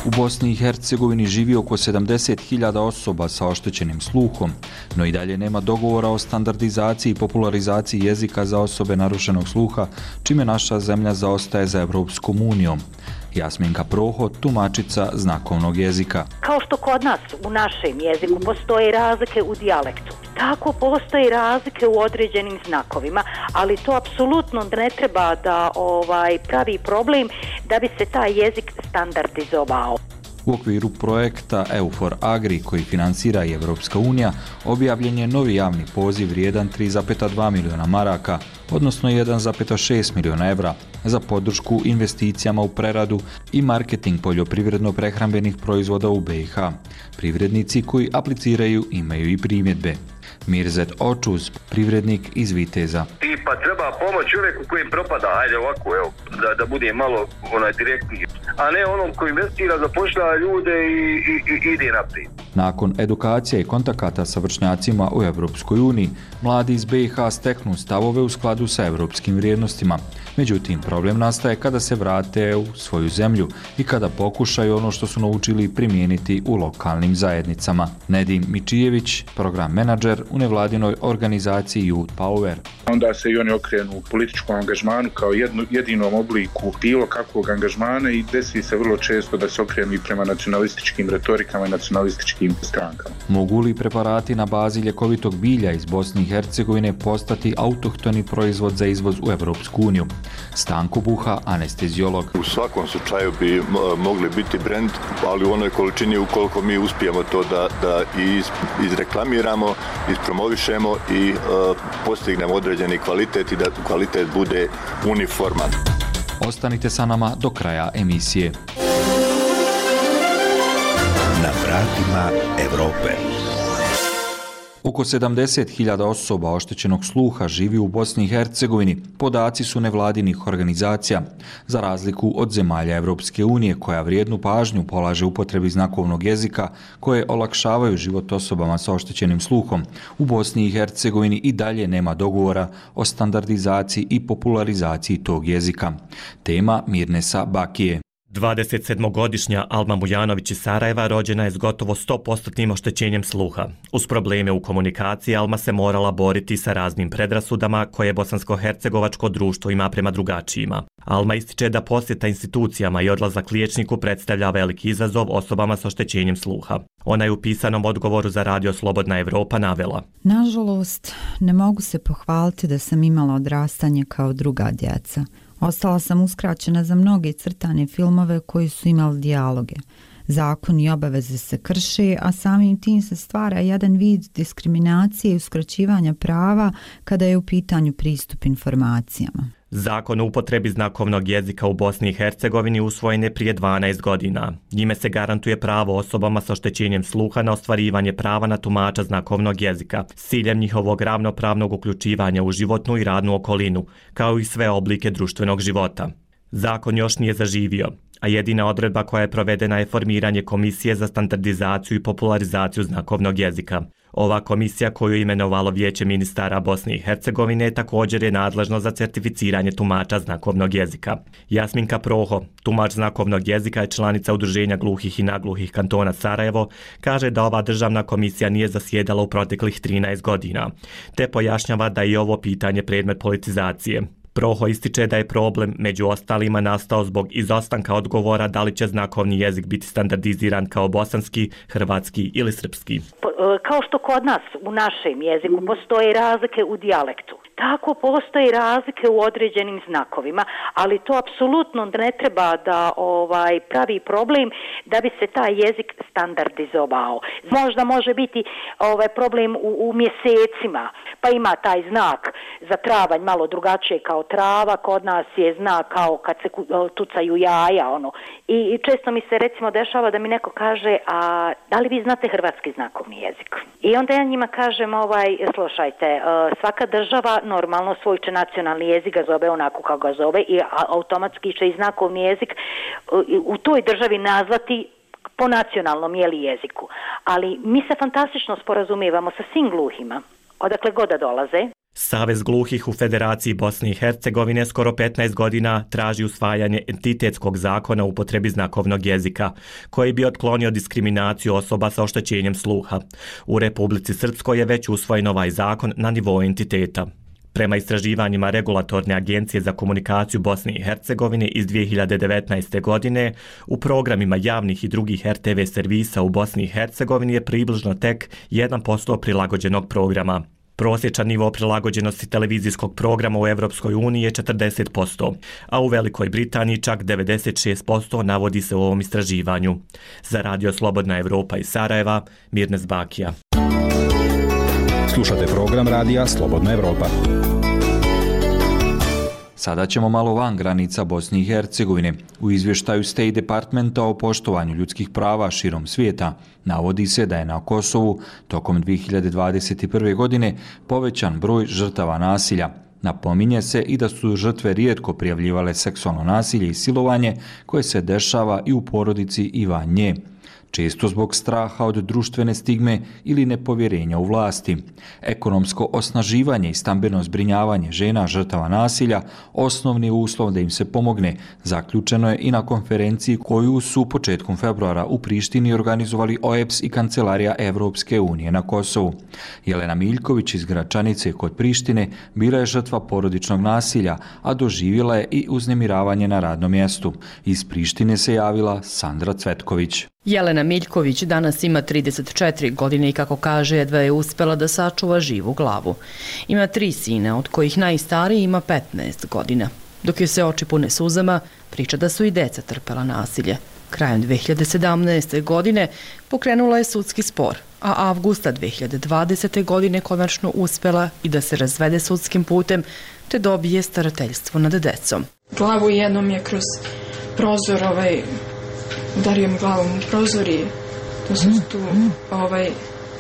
U Bosni i Hercegovini živi oko sedamdeset hiljada osoba sa oštećenim sluhom, no i dalje nema dogovora o standardizaciji i popularizaciji jezika za osobe narušenog sluha, čime naša zemlja zaostaje za Evropskom unijom. Jasminka Proho, tumačica znakovnog jezika. Kao što kod nas u našem jeziku postoje razlike u dijalektu, tako postoje razlike u određenim znakovima, ali to apsolutno ne treba da ovaj pravi problem da bi se taj jezik standardizovao. U okviru projekta EUFOR Agri, koji finansira i Evropska unija, objavljen je novi javni poziv vrijedan tri zarez dva miliona maraka, odnosno jedan zarez šest miliona evra, za podršku investicijama u preradu i marketing poljoprivredno-prehrambenih proizvoda u B i H. Privrednici koji apliciraju imaju i primjedbe. Mirzet Očuz, privrednik iz Viteza. Tipa treba pomoć čovjeku koji propada, ajde ovako, evo, da, da bude malo onaj direktniji, a ne onom koji investira, zapošljava ljude i, i, i ide naprijed. Nakon edukacija i kontakata sa vršnjacima u Evropskoj uniji, mladi iz B i H steknu stavove u skladu sa evropskim vrijednostima. Međutim, problem nastaje kada se vrate u svoju zemlju i kada pokušaju ono što su naučili primijeniti u lokalnim zajednicama. Nedim Mičijević, program menadžer u nevladinoj organizaciji Youth Power. Onda se i oni okrenu u političkom angažmanu kao jednu, jedinom obliku bilo kakvog angažmana i desi se vrlo često da se okrenu i prema nacionalističkim retorikama i nacionalističkim strankama. Mogu li preparati na bazi ljekovitog bilja iz Bosne i Hercegovine postati autohtoni proizvod za izvoz u Evropsku uniju? Stanko Buha, anesteziolog. U svakom slučaju bi mogli biti brend, ali u onoj količini ukoliko mi uspijemo to da, da iz, izreklamiramo, ispromovišemo i uh, postignemo određeni kvalitet i da kvalitet bude uniforman. Ostanite sa nama do kraja emisije. Na vratima Evrope. Oko sedamdeset hiljada osoba oštećenog sluha živi u Bosni i Hercegovini, podaci su nevladinih organizacija. Za razliku od zemalja Evropske unije, koja vrijednu pažnju polaže upotrebi znakovnog jezika, koje olakšavaju život osobama sa oštećenim sluhom, u Bosni i Hercegovini i dalje nema dogovora o standardizaciji i popularizaciji tog jezika. Tema Mirnesa Bakije. dvadesetsedmogodišnja Alma Mujanović iz Sarajeva rođena je s gotovo sto posto oštećenjem sluha. Uz probleme u komunikaciji Alma se morala boriti sa raznim predrasudama koje bosansko-hercegovačko društvo ima prema drugačijima. Alma ističe da posjeta institucijama i odlazak liječniku predstavlja veliki izazov osobama s oštećenjem sluha. Ona je u pisanom odgovoru za radio Slobodna Evropa navela: Nažalost, ne mogu se pohvaliti da sam imala odrastanje kao druga djeca. Ostala sam uskraćena za mnoge crtane filmove koji su imali dijaloge. Zakon i obaveze se krše, a samim tim se stvara jedan vid diskriminacije i uskraćivanja prava kada je u pitanju pristup informacijama. Zakon o upotrebi znakovnog jezika u Bosni i Hercegovini usvojen je prije dvanaest godina. Njime se garantuje pravo osobama sa oštećenjem sluha na ostvarivanje prava na tumača znakovnog jezika s ciljem njihovog ravnopravnog uključivanja u životnu i radnu okolinu, kao i sve oblike društvenog života. Zakon još nije zaživio, a jedina odredba koja je provedena je formiranje Komisije za standardizaciju i popularizaciju znakovnog jezika. Ova komisija, koju je imenovalo Vijeće ministara Bosne i Hercegovine, također je nadležno za certificiranje tumača znakovnog jezika. Jasminka Proho, tumač znakovnog jezika i članica Udruženja gluhih i nagluhih kantona Sarajevo, kaže da ova državna komisija nije zasjedala u proteklih trinaest godina, te pojašnjava da je i ovo pitanje predmet politizacije. Proho ističe da je problem među ostalima nastao zbog izostanka odgovora da li će znakovni jezik biti standardiziran kao bosanski, hrvatski ili srpski. Kao što kod nas u našem jeziku postoje razlike u dijalektu, Tako postoje razlike u određenim znakovima, ali to apsolutno ne treba da ovaj pravi problem da bi se taj jezik standardizovao. Možda može biti ovaj problem u, u mjesecima, pa ima taj znak za travanj malo drugačije kao trava, kod nas je znak kao kad se tucaju jaja, ono. I, i često mi se recimo dešava da mi neko kaže, a da li vi znate hrvatski znakovni jezik? I onda ja njima kažem, ovaj, slušajte, svaka država normalno svoj će nacionalni jezik ga zove onako kako ga zove i automatski će i znakovni jezik u toj državi nazvati po nacionalnom jeli jeziku. Ali mi se fantastično sporazumijevamo sa svim gluhima, odakle god da dolaze. Savez gluhih u Federaciji Bosne i Hercegovine skoro petnaest godina traži usvajanje entitetskog zakona o upotrebi znakovnog jezika, koji bi otklonio diskriminaciju osoba sa oštećenjem sluha. U Republici Srpskoj je već usvojen ovaj zakon na nivou entiteta. Prema istraživanjima Regulatorne agencije za komunikaciju Bosne i Hercegovine iz dvije hiljade devetnaeste. godine, u programima javnih i drugih er te ve servisa u Bosni i Hercegovini je približno tek jedan posto prilagođenog programa. Prosječan nivo prilagođenosti televizijskog programa u Evropskoj uniji je četrdeset posto, a u Velikoj Britaniji čak devedeset šest posto navodi se u ovom istraživanju. Za Radio Slobodna Evropa iz Sarajeva, Mirnes Bakija. Slušate program Radija Slobodna Evropa. Sada ćemo malo van granica Bosne i Hercegovine. U izvještaju State Departmenta o poštovanju ljudskih prava širom svijeta navodi se da je na Kosovu tokom dvije hiljade dvadeset prve. godine povećan broj žrtava nasilja. Napominje se i da su žrtve rijetko prijavljivale seksualno nasilje i silovanje koje se dešava i u porodici i van nje, često zbog straha od društvene stigme ili nepovjerenja u vlasti. Ekonomsko osnaživanje i stambeno zbrinjavanje žena žrtava nasilja osnovni je uslov da im se pomogne, zaključeno je i na konferenciji koju su početkom februara u Prištini organizovali O E B S i Kancelarija Evropske unije na Kosovu. Jelena Miljković iz Gračanice kod Prištine bila je žrtva porodičnog nasilja, a doživjela je i uznemiravanje na radnom mjestu. Iz Prištine se javila Sandra Cvetković. Jelena Miljković danas ima trideset četiri godine i kako kaže jedva je uspjela da sačuva živu glavu. Ima tri sina, od kojih najstariji ima petnaest godina. Dok joj se oči pune suzama, priča da su i deca trpela nasilje. Krajem dvije hiljade sedamnaeste. godine pokrenula je sudski spor, a avgusta dvije hiljade dvadesete. godine konačno uspjela i da se razvede sudskim putem te dobije starateljstvo nad decom. Glavu jednom je kroz prozor ovaj udario mi glavom u prozori, to su tu ovaj,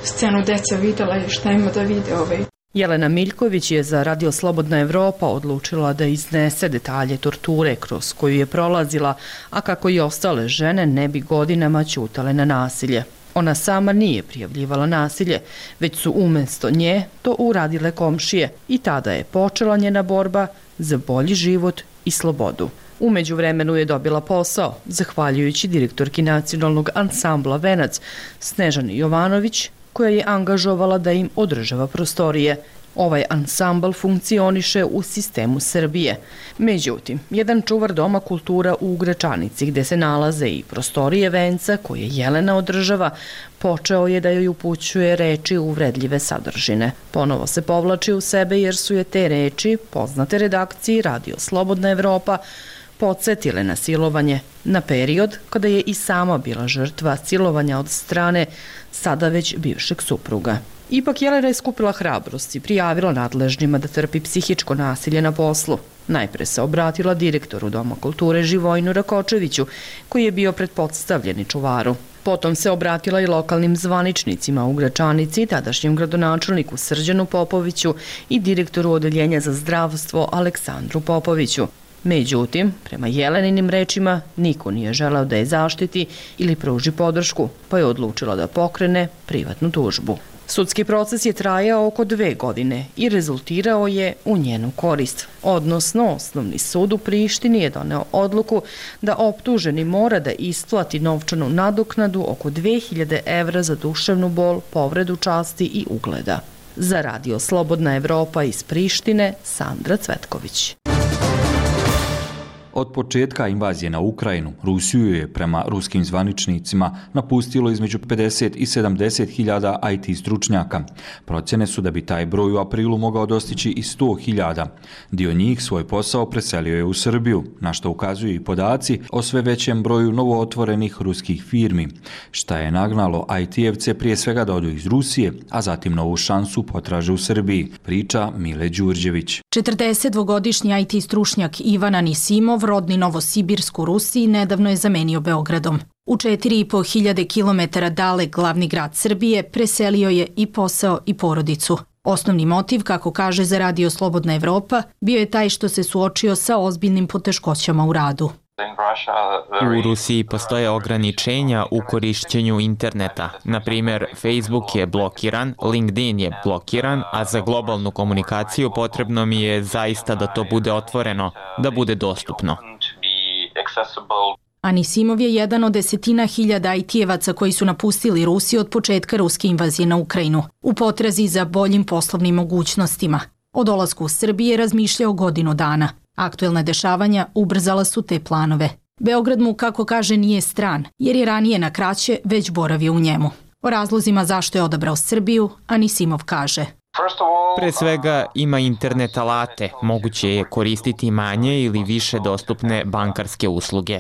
scenu deca videla i šta ima da vide. Ovaj. Jelena Miljković je za Radio Slobodna Evropa odlučila da iznese detalje torture kroz koju je prolazila, a kako i ostale žene ne bi godinama ćutale na nasilje. Ona sama nije prijavljivala nasilje, već su umjesto nje to uradile komšije i tada je počela njena borba za bolji život i slobodu. U međuvremenu je dobila posao, zahvaljujući direktorki nacionalnog ansambla Venac, Snežani Jovanović, koja je angažovala da im održava prostorije. Ovaj ansambl funkcioniše u sistemu Srbije. Međutim, jedan čuvar Doma kultura u Gračanici, gde se nalaze i prostorije Venca, koje Jelena održava, počeo je da joj upućuje reči uvredljive sadržine. Ponovo se povlači u sebe jer su je te reči, poznate redakciji Radio Slobodna Evropa, podsjetile na silovanje, na period kada je i sama bila žrtva silovanja od strane sada već bivšeg supruga. Ipak Jelena je skupila hrabrost i prijavila nadležnjima da trpi psihičko nasilje na poslu. Najpre se obratila direktoru Doma kulture Živojinu Rakočeviću, koji je bio pretpostavljeni čuvaru. Potom se obratila i lokalnim zvaničnicima u Gračanici, tadašnjem gradonačelniku Srđanu Popoviću i direktoru Odeljenja za zdravstvo Aleksandru Popoviću. Međutim, prema Jeleninim rečima, niko nije želeo da je zaštiti ili pruži podršku, pa je odlučila da pokrene privatnu tužbu. Sudski proces je trajao oko dve godine i rezultirao je u njenu korist. Odnosno, Osnovni sud u Prištini je doneo odluku da optuženi mora da isplati novčanu nadoknadu oko dve hiljade evra za duševnu bol, povredu časti i ugleda. Za Radio Slobodna Evropa iz Prištine, Sandra Cvetković. Od početka invazije na Ukrajinu, Rusiju je prema ruskim zvaničnicima napustilo između pedeset i sedamdeset hiljada I T stručnjaka. Procjene su da bi taj broj u aprilu mogao dostići i sto hiljada. Dio njih svoj posao preselio je u Srbiju, na što ukazuju i podaci o sve većem broju novootvorenih ruskih firmi, šta je nagnalo I T-evce prije svega da odu iz Rusije, a zatim novu šansu potraže u Srbiji, priča Mile Đurđević. četrdesetdvogodišnji I T stručnjak Ivan Anisimov, rodni Novosibirsk u Rusiji, nedavno je zamenio Beogradom. U četiri i po hiljade kilometara dalek glavni grad Srbije preselio je i posao i porodicu. Osnovni motiv, kako kaže za Radio Slobodna Evropa, bio je taj što se suočio sa ozbiljnim poteškoćama u radu. U Rusiji postoje ograničenja u korišćenju interneta. Na primjer, Facebook je blokiran, LinkedIn je blokiran, a za globalnu komunikaciju potrebno mi je zaista da to bude otvoreno, da bude dostupno. Anisimov je jedan od desetina hiljada I T-evaca koji su napustili Rusiju od početka ruske invazije na Ukrajinu, u potrazi za boljim poslovnim mogućnostima. O dolasku u Srbije razmišljao godinu dana. Aktuelna dešavanja ubrzala su te planove. Beograd mu, kako kaže, nije stran, jer je ranije na kraće već boravio u njemu. O razlozima zašto je odabrao Srbiju, Anisimov kaže: Pre svega ima internet alate, moguće je koristiti manje ili više dostupne bankarske usluge.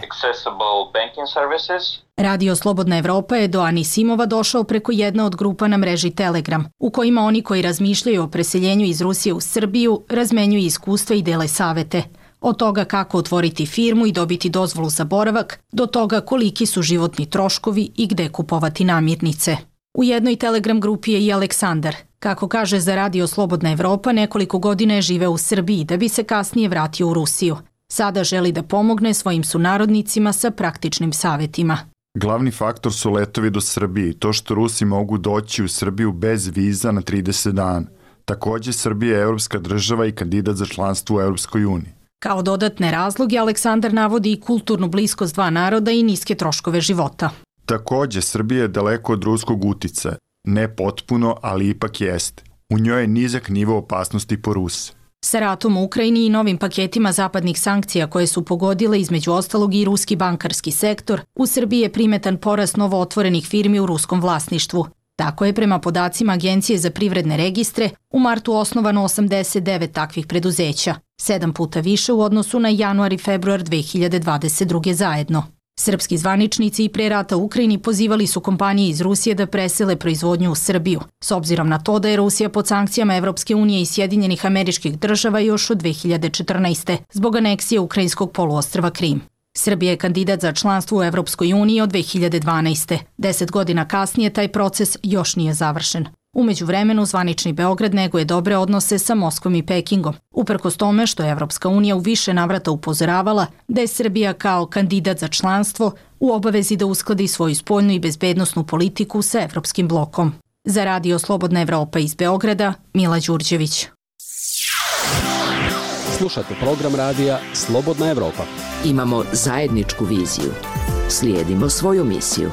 Radio Slobodna Evropa je do Anisimova došao preko jedne od grupa na mreži Telegram, u kojima oni koji razmišljaju o preseljenju iz Rusije u Srbiju razmenjuju iskustva i dele savete. Od toga kako otvoriti firmu i dobiti dozvolu za boravak, do toga koliki su životni troškovi i gde kupovati namirnice. U jednoj Telegram grupi je i Aleksandar. Kako kaže za Radio Slobodna Evropa, nekoliko godina je živeo u Srbiji da bi se kasnije vratio u Rusiju. Sada želi da pomogne svojim sunarodnicima sa praktičnim savjetima. Glavni faktor su letovi do Srbije i to što Rusi mogu doći u Srbiju bez viza na trideset dana. Također, Srbija je evropska država i kandidat za članstvo u Evropskoj uniji. Kao dodatne razloge, Aleksandar navodi i kulturnu bliskost dva naroda i niske troškove života. Također, Srbija je daleko od ruskog uticaja. Ne potpuno, ali ipak jeste. U njoj je nizak nivo opasnosti po Ruse. Sa ratom u Ukrajini i novim paketima zapadnih sankcija koje su pogodile između ostalog i ruski bankarski sektor, u Srbiji je primetan porast novo otvorenih firmi u ruskom vlasništvu. Tako je prema podacima Agencije za privredne registre u martu osnovano osamdeset devet takvih preduzeća, sedam puta više u odnosu na januar i februar dve hiljade dvadeset druge zajedno. Srpski zvaničnici i pre rata u Ukrajini pozivali su kompanije iz Rusije da presele proizvodnju u Srbiju, s obzirom na to da je Rusija pod sankcijama Evropske unije i Sjedinjenih Američkih Država još od dve hiljade četrnaeste. zbog aneksije ukrajinskog poluostrva Krim. Srbija je kandidat za članstvo u Evropskoj uniji od dve hiljade dvanaeste. Deset godina kasnije taj proces još nije završen. U međuvremenu, zvanični Beograd neguje dobre odnose sa Moskvom i Pekingom, uprkos tome što je Evropska unija u više navrata upozoravala da je Srbija kao kandidat za članstvo u obavezi da uskladi svoju spoljnu i bezbednosnu politiku sa Evropskim blokom. Za Radio Slobodna Evropa iz Beograda, Mila Đurđević. Slušate program radija Slobodna Evropa. Imamo zajedničku viziju. Slijedimo svoju misiju.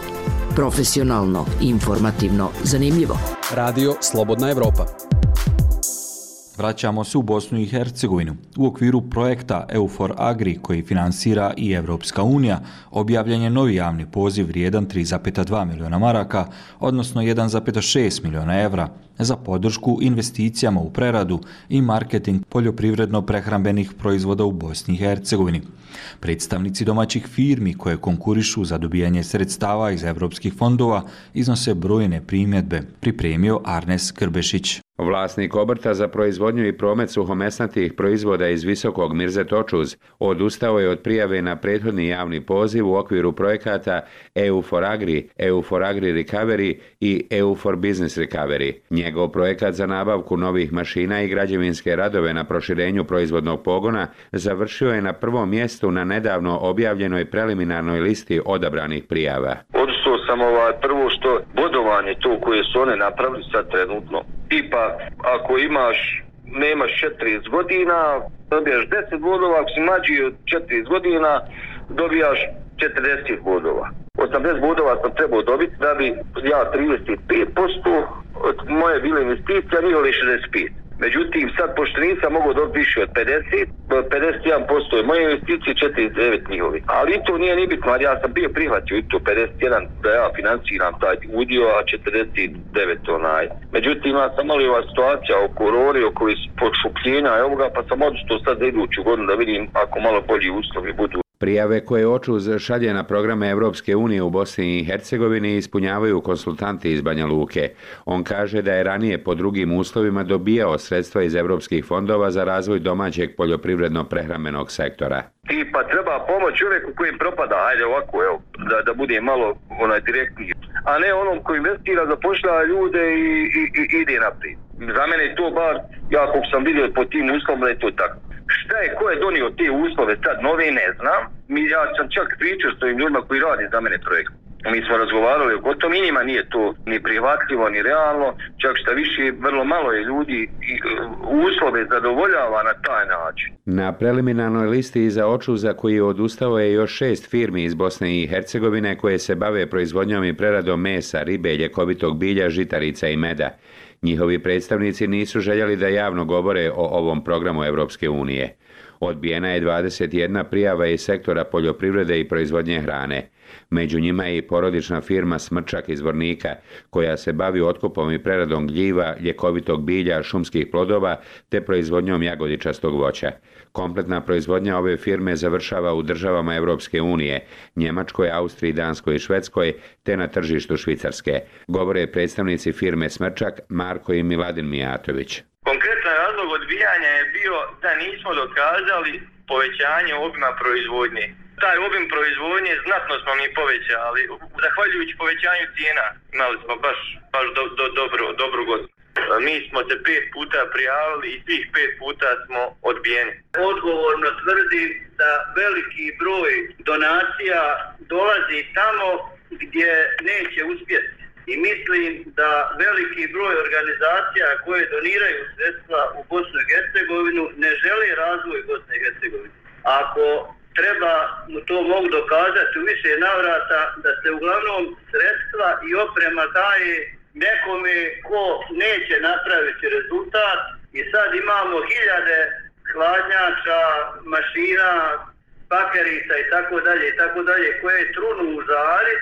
Profesionalno, informativno, zanimljivo. Radio Slobodna Evropa. Vraćamo se u Bosnu i Hercegovinu. U okviru projekta EUFOR Agri, koji finansira i Evropska unija, objavljen je novi javni poziv vrijedan tri zarez dva miliona maraka, odnosno jedan zarez šest miliona evra, za podršku investicijama u preradu i marketing poljoprivredno-prehrambenih proizvoda u Bosni i Hercegovini. Predstavnici domaćih firmi koje konkurišu za dobijanje sredstava iz evropskih fondova iznose brojne primjedbe, pripremio Arnes Krbešić. Vlasnik obrta za proizvodnju i promet suhomesnatih proizvoda iz Visokog Mirzet Očuz odustao je od prijave na prethodni javni poziv u okviru projekata EUFOR Agri, EUFOR Agri Recovery i EUFOR Business Recovery. Njegov projekat za nabavku novih mašina i građevinske radove na proširenju proizvodnog pogona završio je na prvom mjestu na nedavno objavljenoj preliminarnoj listi odabranih prijava. Odustao sam ovaj, prvo što bodovanje to koje su one napravili sad trenutno. Tipa, ako imaš, nemaš četrdeset godina, dobijaš deset bodova, ako si mlađi od četrdeset godina, dobijaš četrdeset bodova. osamdeset bodova sam trebao dobiti da bi ja trideset pet posto od moje bile investicije, a nije li šezdeset pet. Međutim, sad pošto nisam mogao dobiti više od pedeset, pedeset jedan posto je moje investicije, četrdeset devet njihovi. Ali i to nije ni bitno, ali ja sam bio prihvatio i to pedeset jedan da ja financiram taj udio, a četrdeset devet onaj. Međutim, ja sam malo ova situacija oko korone, oko podšupljenja i ovoga, pa sam odustao sad za iduću godinu da vidim ako malo bolji uslovi budu. Prijave koje Očuz šalje na programe Evropske unije u Bosni i Hercegovini ispunjavaju konsultanti iz Banja Luke. On kaže da je ranije po drugim uslovima dobijao sredstva iz evropskih fondova za razvoj domaćeg poljoprivredno-prehrambenog sektora. I pa treba pomoć čovjeku kojim propada, ajde ovako, evo, da, da bude malo onaj direktniji, a ne onom koji investira, zapošljava ljude i, i, i ide naprijed. Za mene je to bar, ja kako sam vidio po tim uslovima, je to tako. Šta je, ko je donio te uslove sad nove, ne znam. Mi, ja sam čak pričao s ovim ljudima koji radi za mene projekt. Mi smo razgovarali o tom i njima nije to ni prihvatljivo, ni realno. Čak šta više, vrlo malo je ljudi i uslove zadovoljava na taj način. Na preliminarnoj listi iza Očuza koji je odustao je još šest firmi iz Bosne i Hercegovine koje se bave proizvodnjom i preradom mesa, ribe, ljekovitog bilja, žitarica i meda. Njihovi predstavnici nisu željeli da javno govore o ovom programu Evropske unije. Odbijena je dvadeset jedna prijava iz sektora poljoprivrede i proizvodnje hrane. Među njima je i porodična firma Smrčak iz Vornika, koja se bavi otkupom i preradom gljiva, ljekovitog bilja, šumskih plodova te proizvodnjom jagodičastog voća. Kompletna proizvodnja ove firme završava u državama Evropske unije, Njemačkoj, Austriji, Danskoj i Švedskoj, te na tržištu Švicarske. Govore predstavnici firme Smrčak, Marko i Miladin Mijatović. Konkretan razlog odbijanja je bio da nismo dokazali povećanje obima proizvodnje. Taj obim proizvodnje znatno smo mi povećali, zahvaljujući povećanju cijena. Imali smo baš, baš do, do, dobro, dobru godinu. Mi smo se pet puta prijavili i svih pet puta smo odbijeni. Odgovorno tvrdim da veliki broj donacija dolazi tamo gdje neće uspjeti. I mislim da veliki broj organizacija koje doniraju sredstva u Bosnu i Hercegovinu ne žele razvoj Bosne i Hercegovine. Ako treba mu to mogu dokazati u više navrata da se uglavnom sredstva i oprema daje nekome ko neće napraviti rezultat i sad imamo hiljade hladnjača, mašina, pakerica i tako dalje i tako dalje koje trunu u žari,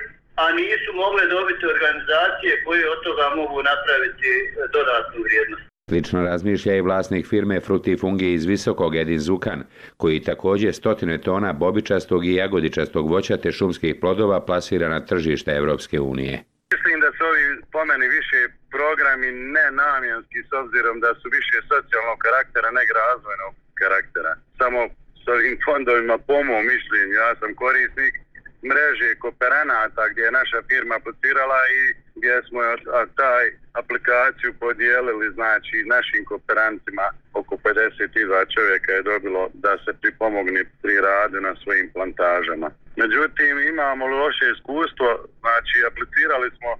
a nisu mogle dobiti organizacije koje od toga mogu napraviti dodatnu vrijednost. Slično razmišlja i vlasnik firme Frutifungi iz Visokog Edin Zukan, koji također stotine tona bobičastog i jagodičastog voća te šumskih plodova plasira na tržište Evropske unije. Mislim da su ovi po meni više programi nenamjenski s obzirom da su više socijalnog karaktera nego razvojnog karaktera. Samo s ovim fondovima po mom mišljenju, ja sam korisnik mreže kooperanata gdje je naša firma aplicirala i gdje smo taj aplikaciju podijelili znači našim kooperantima, oko pedeset dva čovjeka je dobilo da se pripomogne pri radu na svojim plantažama. Međutim, imamo loše iskustvo, znači aplicirali smo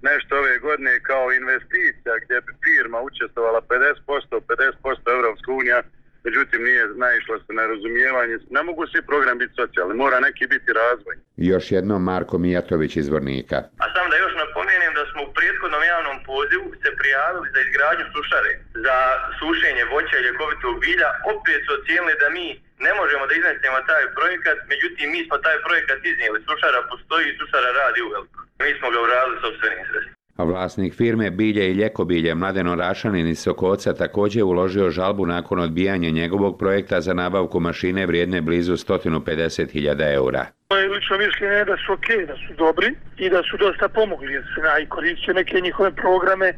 nešto ove godine kao investicija gdje bi firma učestvovala pedeset posto, pedeset posto Evropska unija, međutim nije naišlo se na razumijevanje. Ne mogu svi program biti socijalni, mora neki biti razvoj. Još jednom Marko Mijatović iz Vornika. A samo da još napomenem da smo u prethodnom javnom pozivu se prijavili za izgradnju sušare, za sušenje voća i ljekovitog bilja. Opet su ocijenili da mi ne možemo da iznesemo taj projekat, međutim mi smo taj projekat iznijeli. Sušara postoji i sušara radi uveliko. Mi smo ga uradili sopstvenim sredstvima. A vlasnik firme Bilje i ljekobilje Mladen Orašanin iz Sokoca također uložio žalbu nakon odbijanja njegovog projekta za nabavku mašine vrijedne blizu sto pedeset hiljada eura. Moje lično mišljenje je da su ok, da su dobri i da su dosta pomogli, jer se i koristio neke njihove programe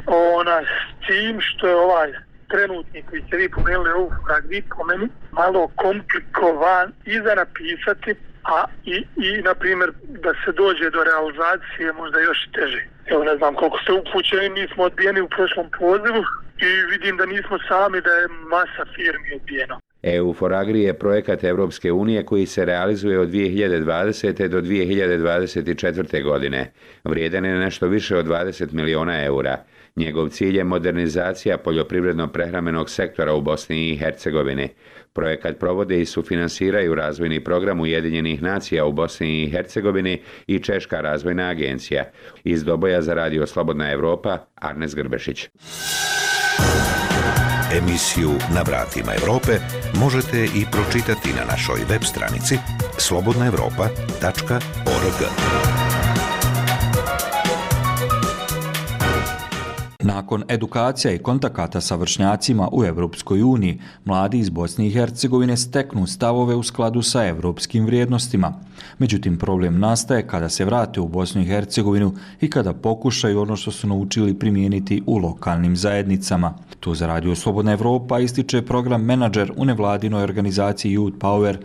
ona, s tim što je ovaj trenutni koji ste vi pomenuli ovu fragvi po meni malo komplikovan i za napisati, a i, i na primjer da se dođe do realizacije možda još teže. Evo ne znam koliko ste upućeni, mi smo odbijeni u prošlom pozivu i vidim da nismo sami, da je masa firmi odbijeno. E U for Agri je projekat Evropske unije koji se realizuje od dvije hiljade dvadesete. do dvije hiljade dvadeset četvrte. godine. Vrijedan je nešto više od dvadeset miliona eura. Njegov cilj je modernizacija poljoprivredno-prehrambenog sektora u Bosni i Hercegovini. Projekat provode i sufinansiraju razvojni program Ujedinjenih nacija u Bosni i Hercegovini i Češka razvojna agencija. Iz Doboja za radio Slobodna Evropa, Arnes Grbešić. Emisiju Na vratima Evrope možete i pročitati na našoj web stranici slobodna evropa tačka org. Nakon edukacija i kontakata sa vršnjacima u Evropskoj uniji, mladi iz Bosne i Hercegovine steknu stavove u skladu sa evropskim vrijednostima. Međutim, problem nastaje kada se vrate u Bosnu i Hercegovinu i kada pokušaju ono što su naučili primijeniti u lokalnim zajednicama. To za Radio Slobodna Evropa ističe program menadžer u nevladinoj organizaciji Youth Power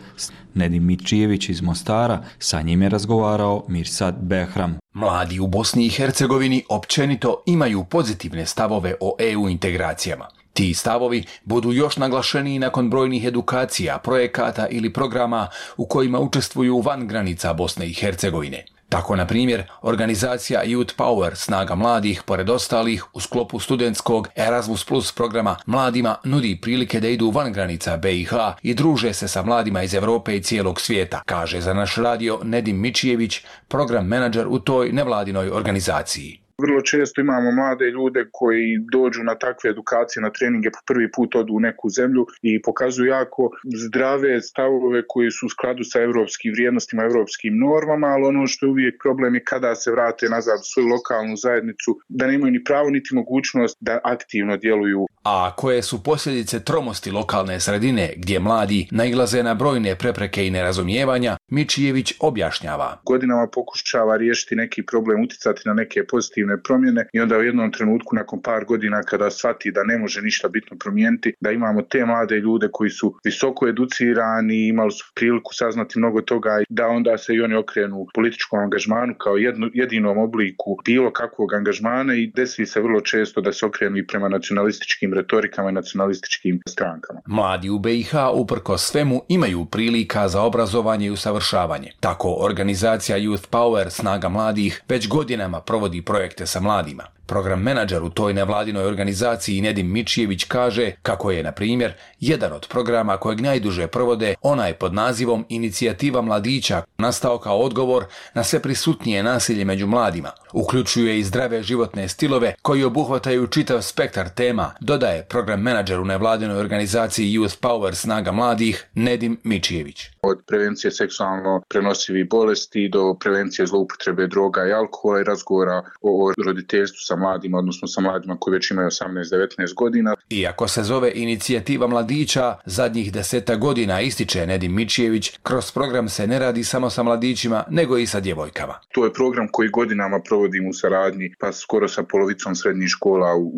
Nedim Mičijević iz Mostara. Sa njim je razgovarao Mirsad Behram. Mladi u Bosni i Hercegovini općenito imaju pozitivne stavove o E U integracijama. Ti stavovi budu još naglašeniji nakon brojnih edukacija, projekata ili programa u kojima učestvuju van granica Bosne i Hercegovine. Tako, na primjer, organizacija Youth Power Snaga mladih, pored ostalih, u sklopu studentskog Erasmus Plus programa mladima nudi prilike da idu van granica B i H i druže se sa mladima iz Evrope i cijelog svijeta, kaže za naš radio Nedim Mičijević, program menadžer u toj nevladinoj organizaciji. Vrlo često imamo mlade ljude koji dođu na takve edukacije, na treninge, po prvi put odu u neku zemlju i pokazuju jako zdrave stavove koji su u skladu sa evropskim vrijednostima, evropskim normama, ali ono što je uvijek problem je kada se vrate nazad u svoju lokalnu zajednicu, da nemaju ni pravo niti mogućnost da aktivno djeluju. A koje su posljedice tromosti lokalne sredine gdje mladi nailaze na brojne prepreke i nerazumijevanja, Mičijević objašnjava. Godinama pokušava riješiti neki problem, uticati na neke pozitivne promjene i onda u jednom trenutku nakon par godina kada shvati da ne može ništa bitno promijeniti, da imamo te mlade ljude koji su visoko educirani, imali su priliku saznati mnogo toga, da onda se i oni okrenu političkom angažmanu kao jedno, jedinom obliku bilo kakvog angažmana i desi se vrlo često da se okrenu i prema nacionalističkim retorikama i nacionalističkim strankama. Mladi u B i H uprkos svemu imaju prilika za obrazovanje i usavršavanje. Tako organizacija Youth Power Snaga mladih već godinama provodi projekte sa mladima. Program menadžer u toj nevladinoj organizaciji Nedim Mičijević kaže kako je, na primjer, jedan od programa kojeg najduže provode onaj pod nazivom Inicijativa mladića nastao kao odgovor na sve prisutnije nasilje među mladima. Uključuje i zdrave životne stilove koji obuhvataju čitav spektar tema, dodaje program menadžer u nevladinoj organizaciji Youth Power Snaga mladih Nedim Mičijević. Od prevencije seksualno prenosivih bolesti do prevencije zloupotrebe droga i alkohola i razgovora o roditeljstvu sa mladima, odnosno sa mladima koji već imaju osamnaest devetnaest godina. Iako se zove Inicijativa mladića, zadnjih deseta godina, ističe Nedim Mičijević, kroz program se ne radi samo sa mladićima, nego i sa djevojkama. To je program koji godinama provodimo u saradnji, pa skoro sa polovicom srednjih škola u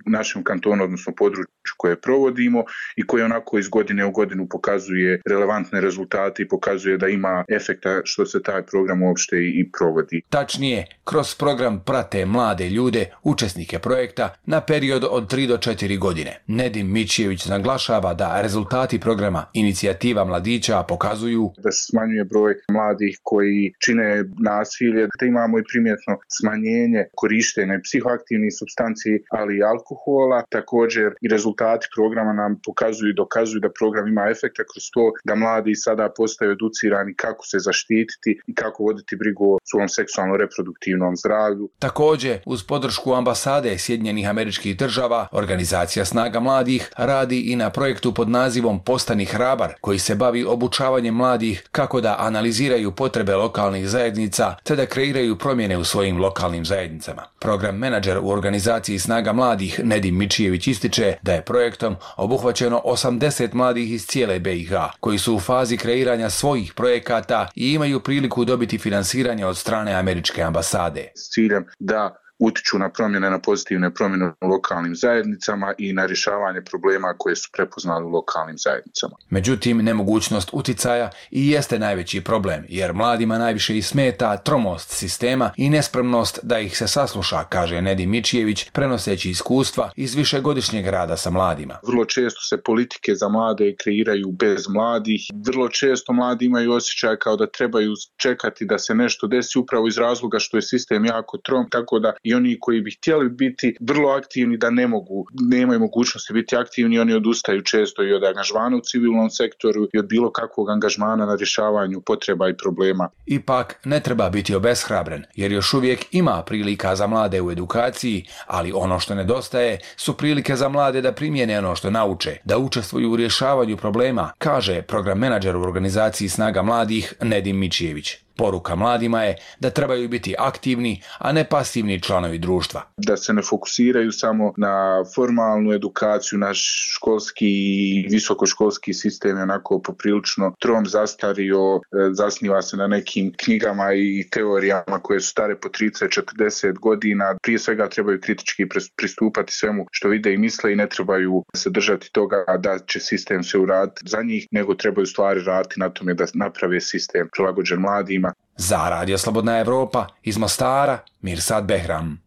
našem kantonu, odnosno području koje provodimo i koji onako iz godine u godinu pokazuje relevantne rezultate i pokazuje da ima efekta što se taj program uopšte i provodi. Tačnije, kroz program prate mlade ljude, učesnike projekta, na period od tri do četiri godine. Nedim Mičijević naglašava da rezultati programa Inicijativa mladića pokazuju da se smanjuje broj mladih koji čine nasilje, da imamo i primjetno smanjenje korištenja psihoaktivnih supstanci, ali i alkohola. Također i rezultati programa nam pokazuju i dokazuju da program ima efekta kroz to da mladi sada postaju educirani kako se zaštititi i kako voditi brigu o svom seksualno-reproduktivnom zdravlju. Također, uz podršku ambasade Sjedinjenih Američkih Država, organizacija Snaga mladih radi i na projektu pod nazivom Postani hrabar, koji se bavi obučavanjem mladih kako da analiziraju potrebe lokalnih zajednica te da kreiraju promjene u svojim lokalnim zajednicama. Program menadžer u organizaciji Snaga mladih Nedim Mičijević ističe da je projektom obuhvaćeno osamdeset mladih iz cijele B i H, koji su u fazi kreiranja svojih projekata i imaju priliku dobiti finansiranje od strane američke ambasade. S ciljem da utiču na promjene, na pozitivne promjene u lokalnim zajednicama i na rješavanje problema koje su prepoznali u lokalnim zajednicama. Međutim, nemogućnost uticaja i jeste najveći problem, jer mladima najviše i smeta tromost sistema i nespremnost da ih se sasluša, kaže Nedim Mičijević, prenoseći iskustva iz višegodišnjeg rada sa mladima. Vrlo često se politike za mlade kreiraju bez mladih. Vrlo često mladi imaju osjećaj kao da trebaju čekati da se nešto desi upravo iz razloga što je sistem jako trom, tako da i i oni koji bi htjeli biti vrlo aktivni da ne mogu, nemaju mogućnosti biti aktivni, oni odustaju često i od angažmana u civilnom sektoru i od bilo kakvog angažmana na rješavanju potreba i problema. Ipak ne treba biti obeshrabren, jer još uvijek ima prilika za mlade u edukaciji, ali ono što nedostaje su prilike za mlade da primjene ono što nauče, da učestvuju u rješavanju problema, kaže program menadžer u organizaciji Snaga mladih Nedim Mičijević. Poruka mladima je da trebaju biti aktivni, a ne pasivni članovi društva. Da se ne fokusiraju samo na formalnu edukaciju, naš školski i visokoškolski sistem je onako poprilično trom, zastario, zasniva se na nekim knjigama i teorijama koje su stare po trideset do četrdeset godina. Prije svega trebaju kritički pristupati svemu što vide i misle i ne trebaju se držati toga da će sistem se uraditi za njih, nego trebaju stvari raditi na tome da naprave sistem prilagođen mladima. Za Radio Slobodna Evropa iz Mostara, Mirsad Behram.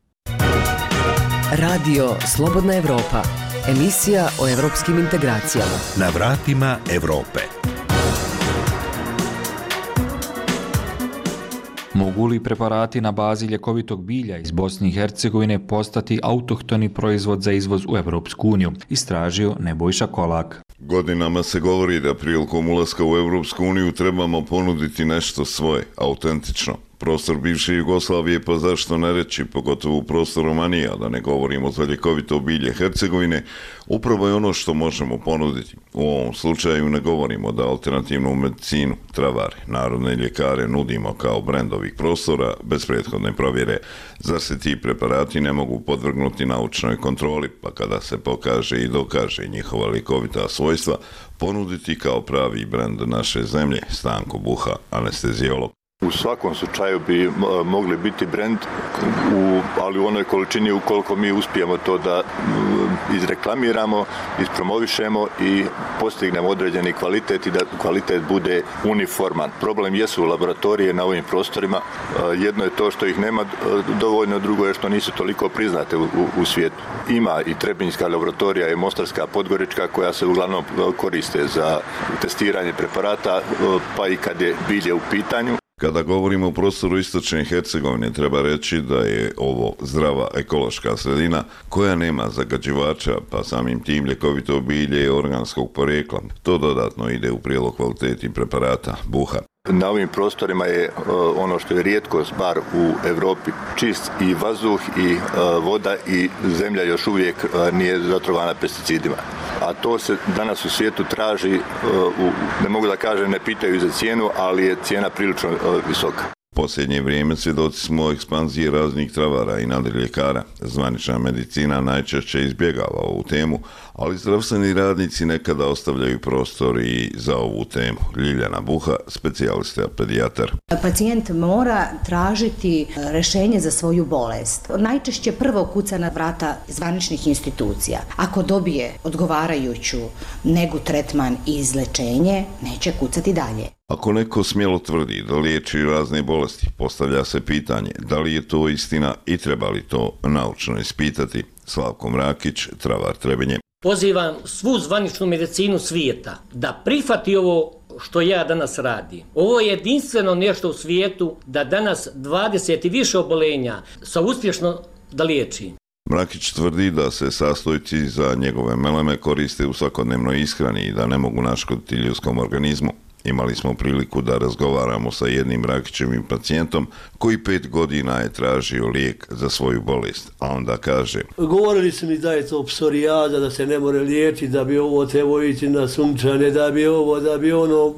Radio Slobodna Evropa, emisija o evropskim integracijama. Na vratima Evrope. Mogu li preparati na bazi ljekovitog bilja iz Bosne i Hercegovine postati autohtoni proizvod za izvoz u Evropsku uniju? Istražio Nebojša Kolak. Godinama se govori da prilikom ulaska u Evropsku uniju trebamo ponuditi nešto svoje, autentično. Prostor bivše Jugoslavije, pa zašto ne reći, pogotovo u prostoru Romanije, da ne govorimo za ljekovito bilje Hercegovine, upravo je ono što možemo ponuditi. U ovom slučaju ne govorimo da alternativnu medicinu, travare, narodne ljekare nudimo kao brend ovih prostora bez prethodne provjere. Zar se ti preparati ne mogu podvrgnuti naučnoj kontroli, pa kada se pokaže i dokaže njihova ljekovita svojstva, ponuditi kao pravi brend naše zemlje? Stanko Buha, anestezijolog. U svakom slučaju bi mogli biti brend, u, ali u onoj količini ukoliko mi uspijemo to da izreklamiramo, ispromovišemo i postignemo određeni kvalitet i da kvalitet bude uniforman. Problem jesu laboratorije na ovim prostorima. Jedno je to što ih nema dovoljno, drugo je što nisu toliko priznate u, u, u svijetu. Ima i Trebinjska laboratorija i Mostarska, Podgorička koja se uglavnom koriste za testiranje preparata, pa i kad je bilje u pitanju. Kada govorimo o prostoru istočne Hercegovine, treba reći da je ovo zdrava ekološka sredina koja nema zagađivača, pa samim tim ljekovito bilje je organskog porijekla. To dodatno ide u prilog kvaliteti preparata. Buha. Na ovim prostorima je uh, ono što je rijetkost bar u Europi, čist i vazduh i uh, voda i zemlja još uvijek uh, nije zatrovana pesticidima. A to se danas u svijetu traži, uh, u, ne mogu da kažem, ne pitaju za cijenu, ali je cijena prilično uh, visoka. Posljednje vrijeme svjedoci smo ekspanzije raznih travara i nadriljekara. Zvanična medicina najčešće izbjegava ovu temu, ali zdravstveni radnici nekada ostavljaju prostor i za ovu temu. Ljiljana Buha, specijalista pedijatar. Pacijent mora tražiti rješenje za svoju bolest. Najčešće prvo kuca na vrata zvaničnih institucija. Ako dobije odgovarajuću negu, tretman i izlečenje, neće kucati dalje. Ako neko smjelo tvrdi da liječi razne bolesti, postavlja se pitanje da li je to istina i treba li to naučno ispitati. Slavko Mrakić, travar Trebinje. Pozivam svu zvaničnu medicinu svijeta da prihvati ovo što ja danas radim. Ovo je jedinstveno nešto u svijetu da danas dvadeset i više obolenja sa uspješno da liječi. Mrakić tvrdi da se sastojci za njegove meleme koriste u svakodnevnoj ishrani i da ne mogu naškoditi ljudskom organizmu. Imali smo priliku da razgovaramo sa jednim Mrakićevim pacijentom koji pet godina je tražio lijek za svoju bolest, a onda kaže: govorili su mi da je to psorijada, da se ne more liječiti, da bi ovo trebao ići na sunčane, da bi ovo, da bi ono,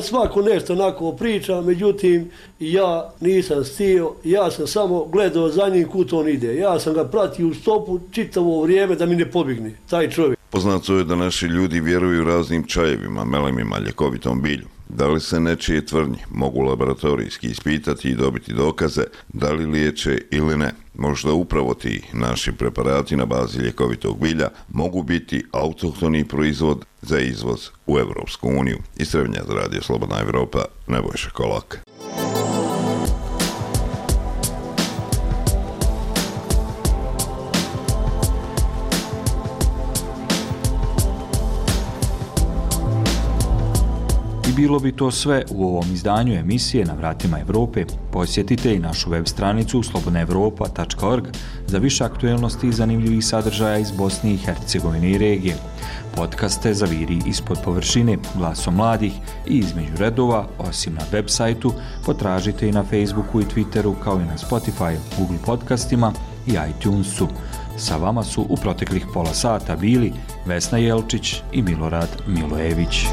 svako nešto onako priča, međutim ja nisam stio, ja sam samo gledao za njim kud on ide. Ja sam ga pratio u stopu čitavo vrijeme da mi ne pobjegne, taj čovjek. Poznato je da naši ljudi vjeruju raznim čajevima, melemima, ljekovitom bilju. Da li se nečije tvrdnje mogu laboratorijski ispitati i dobiti dokaze da li liječe ili ne? Možda upravo ti naši preparati na bazi ljekovitog bilja mogu biti autohtoni proizvod za izvoz u Evropsku uniju. Iz Trebinja za Radio Slobodna Evropa, Nebojša Kolak. bilo bi to sve u ovom izdanju emisije Na vratima Evrope. Posjetite i našu web stranicu slobodna evropa tačka org za više aktuelnosti i zanimljivih sadržaja iz Bosne i Hercegovine i regije. Podcaste Zaviri ispod površine, Glasom mladih i Između redova, osim na web sajtu, potražite i na Facebooku i Twitteru, kao i na Spotify, Google podcastima i iTunesu. Sa vama su u proteklih pola sata bili Vesna Jelčić i Milorad Milojević.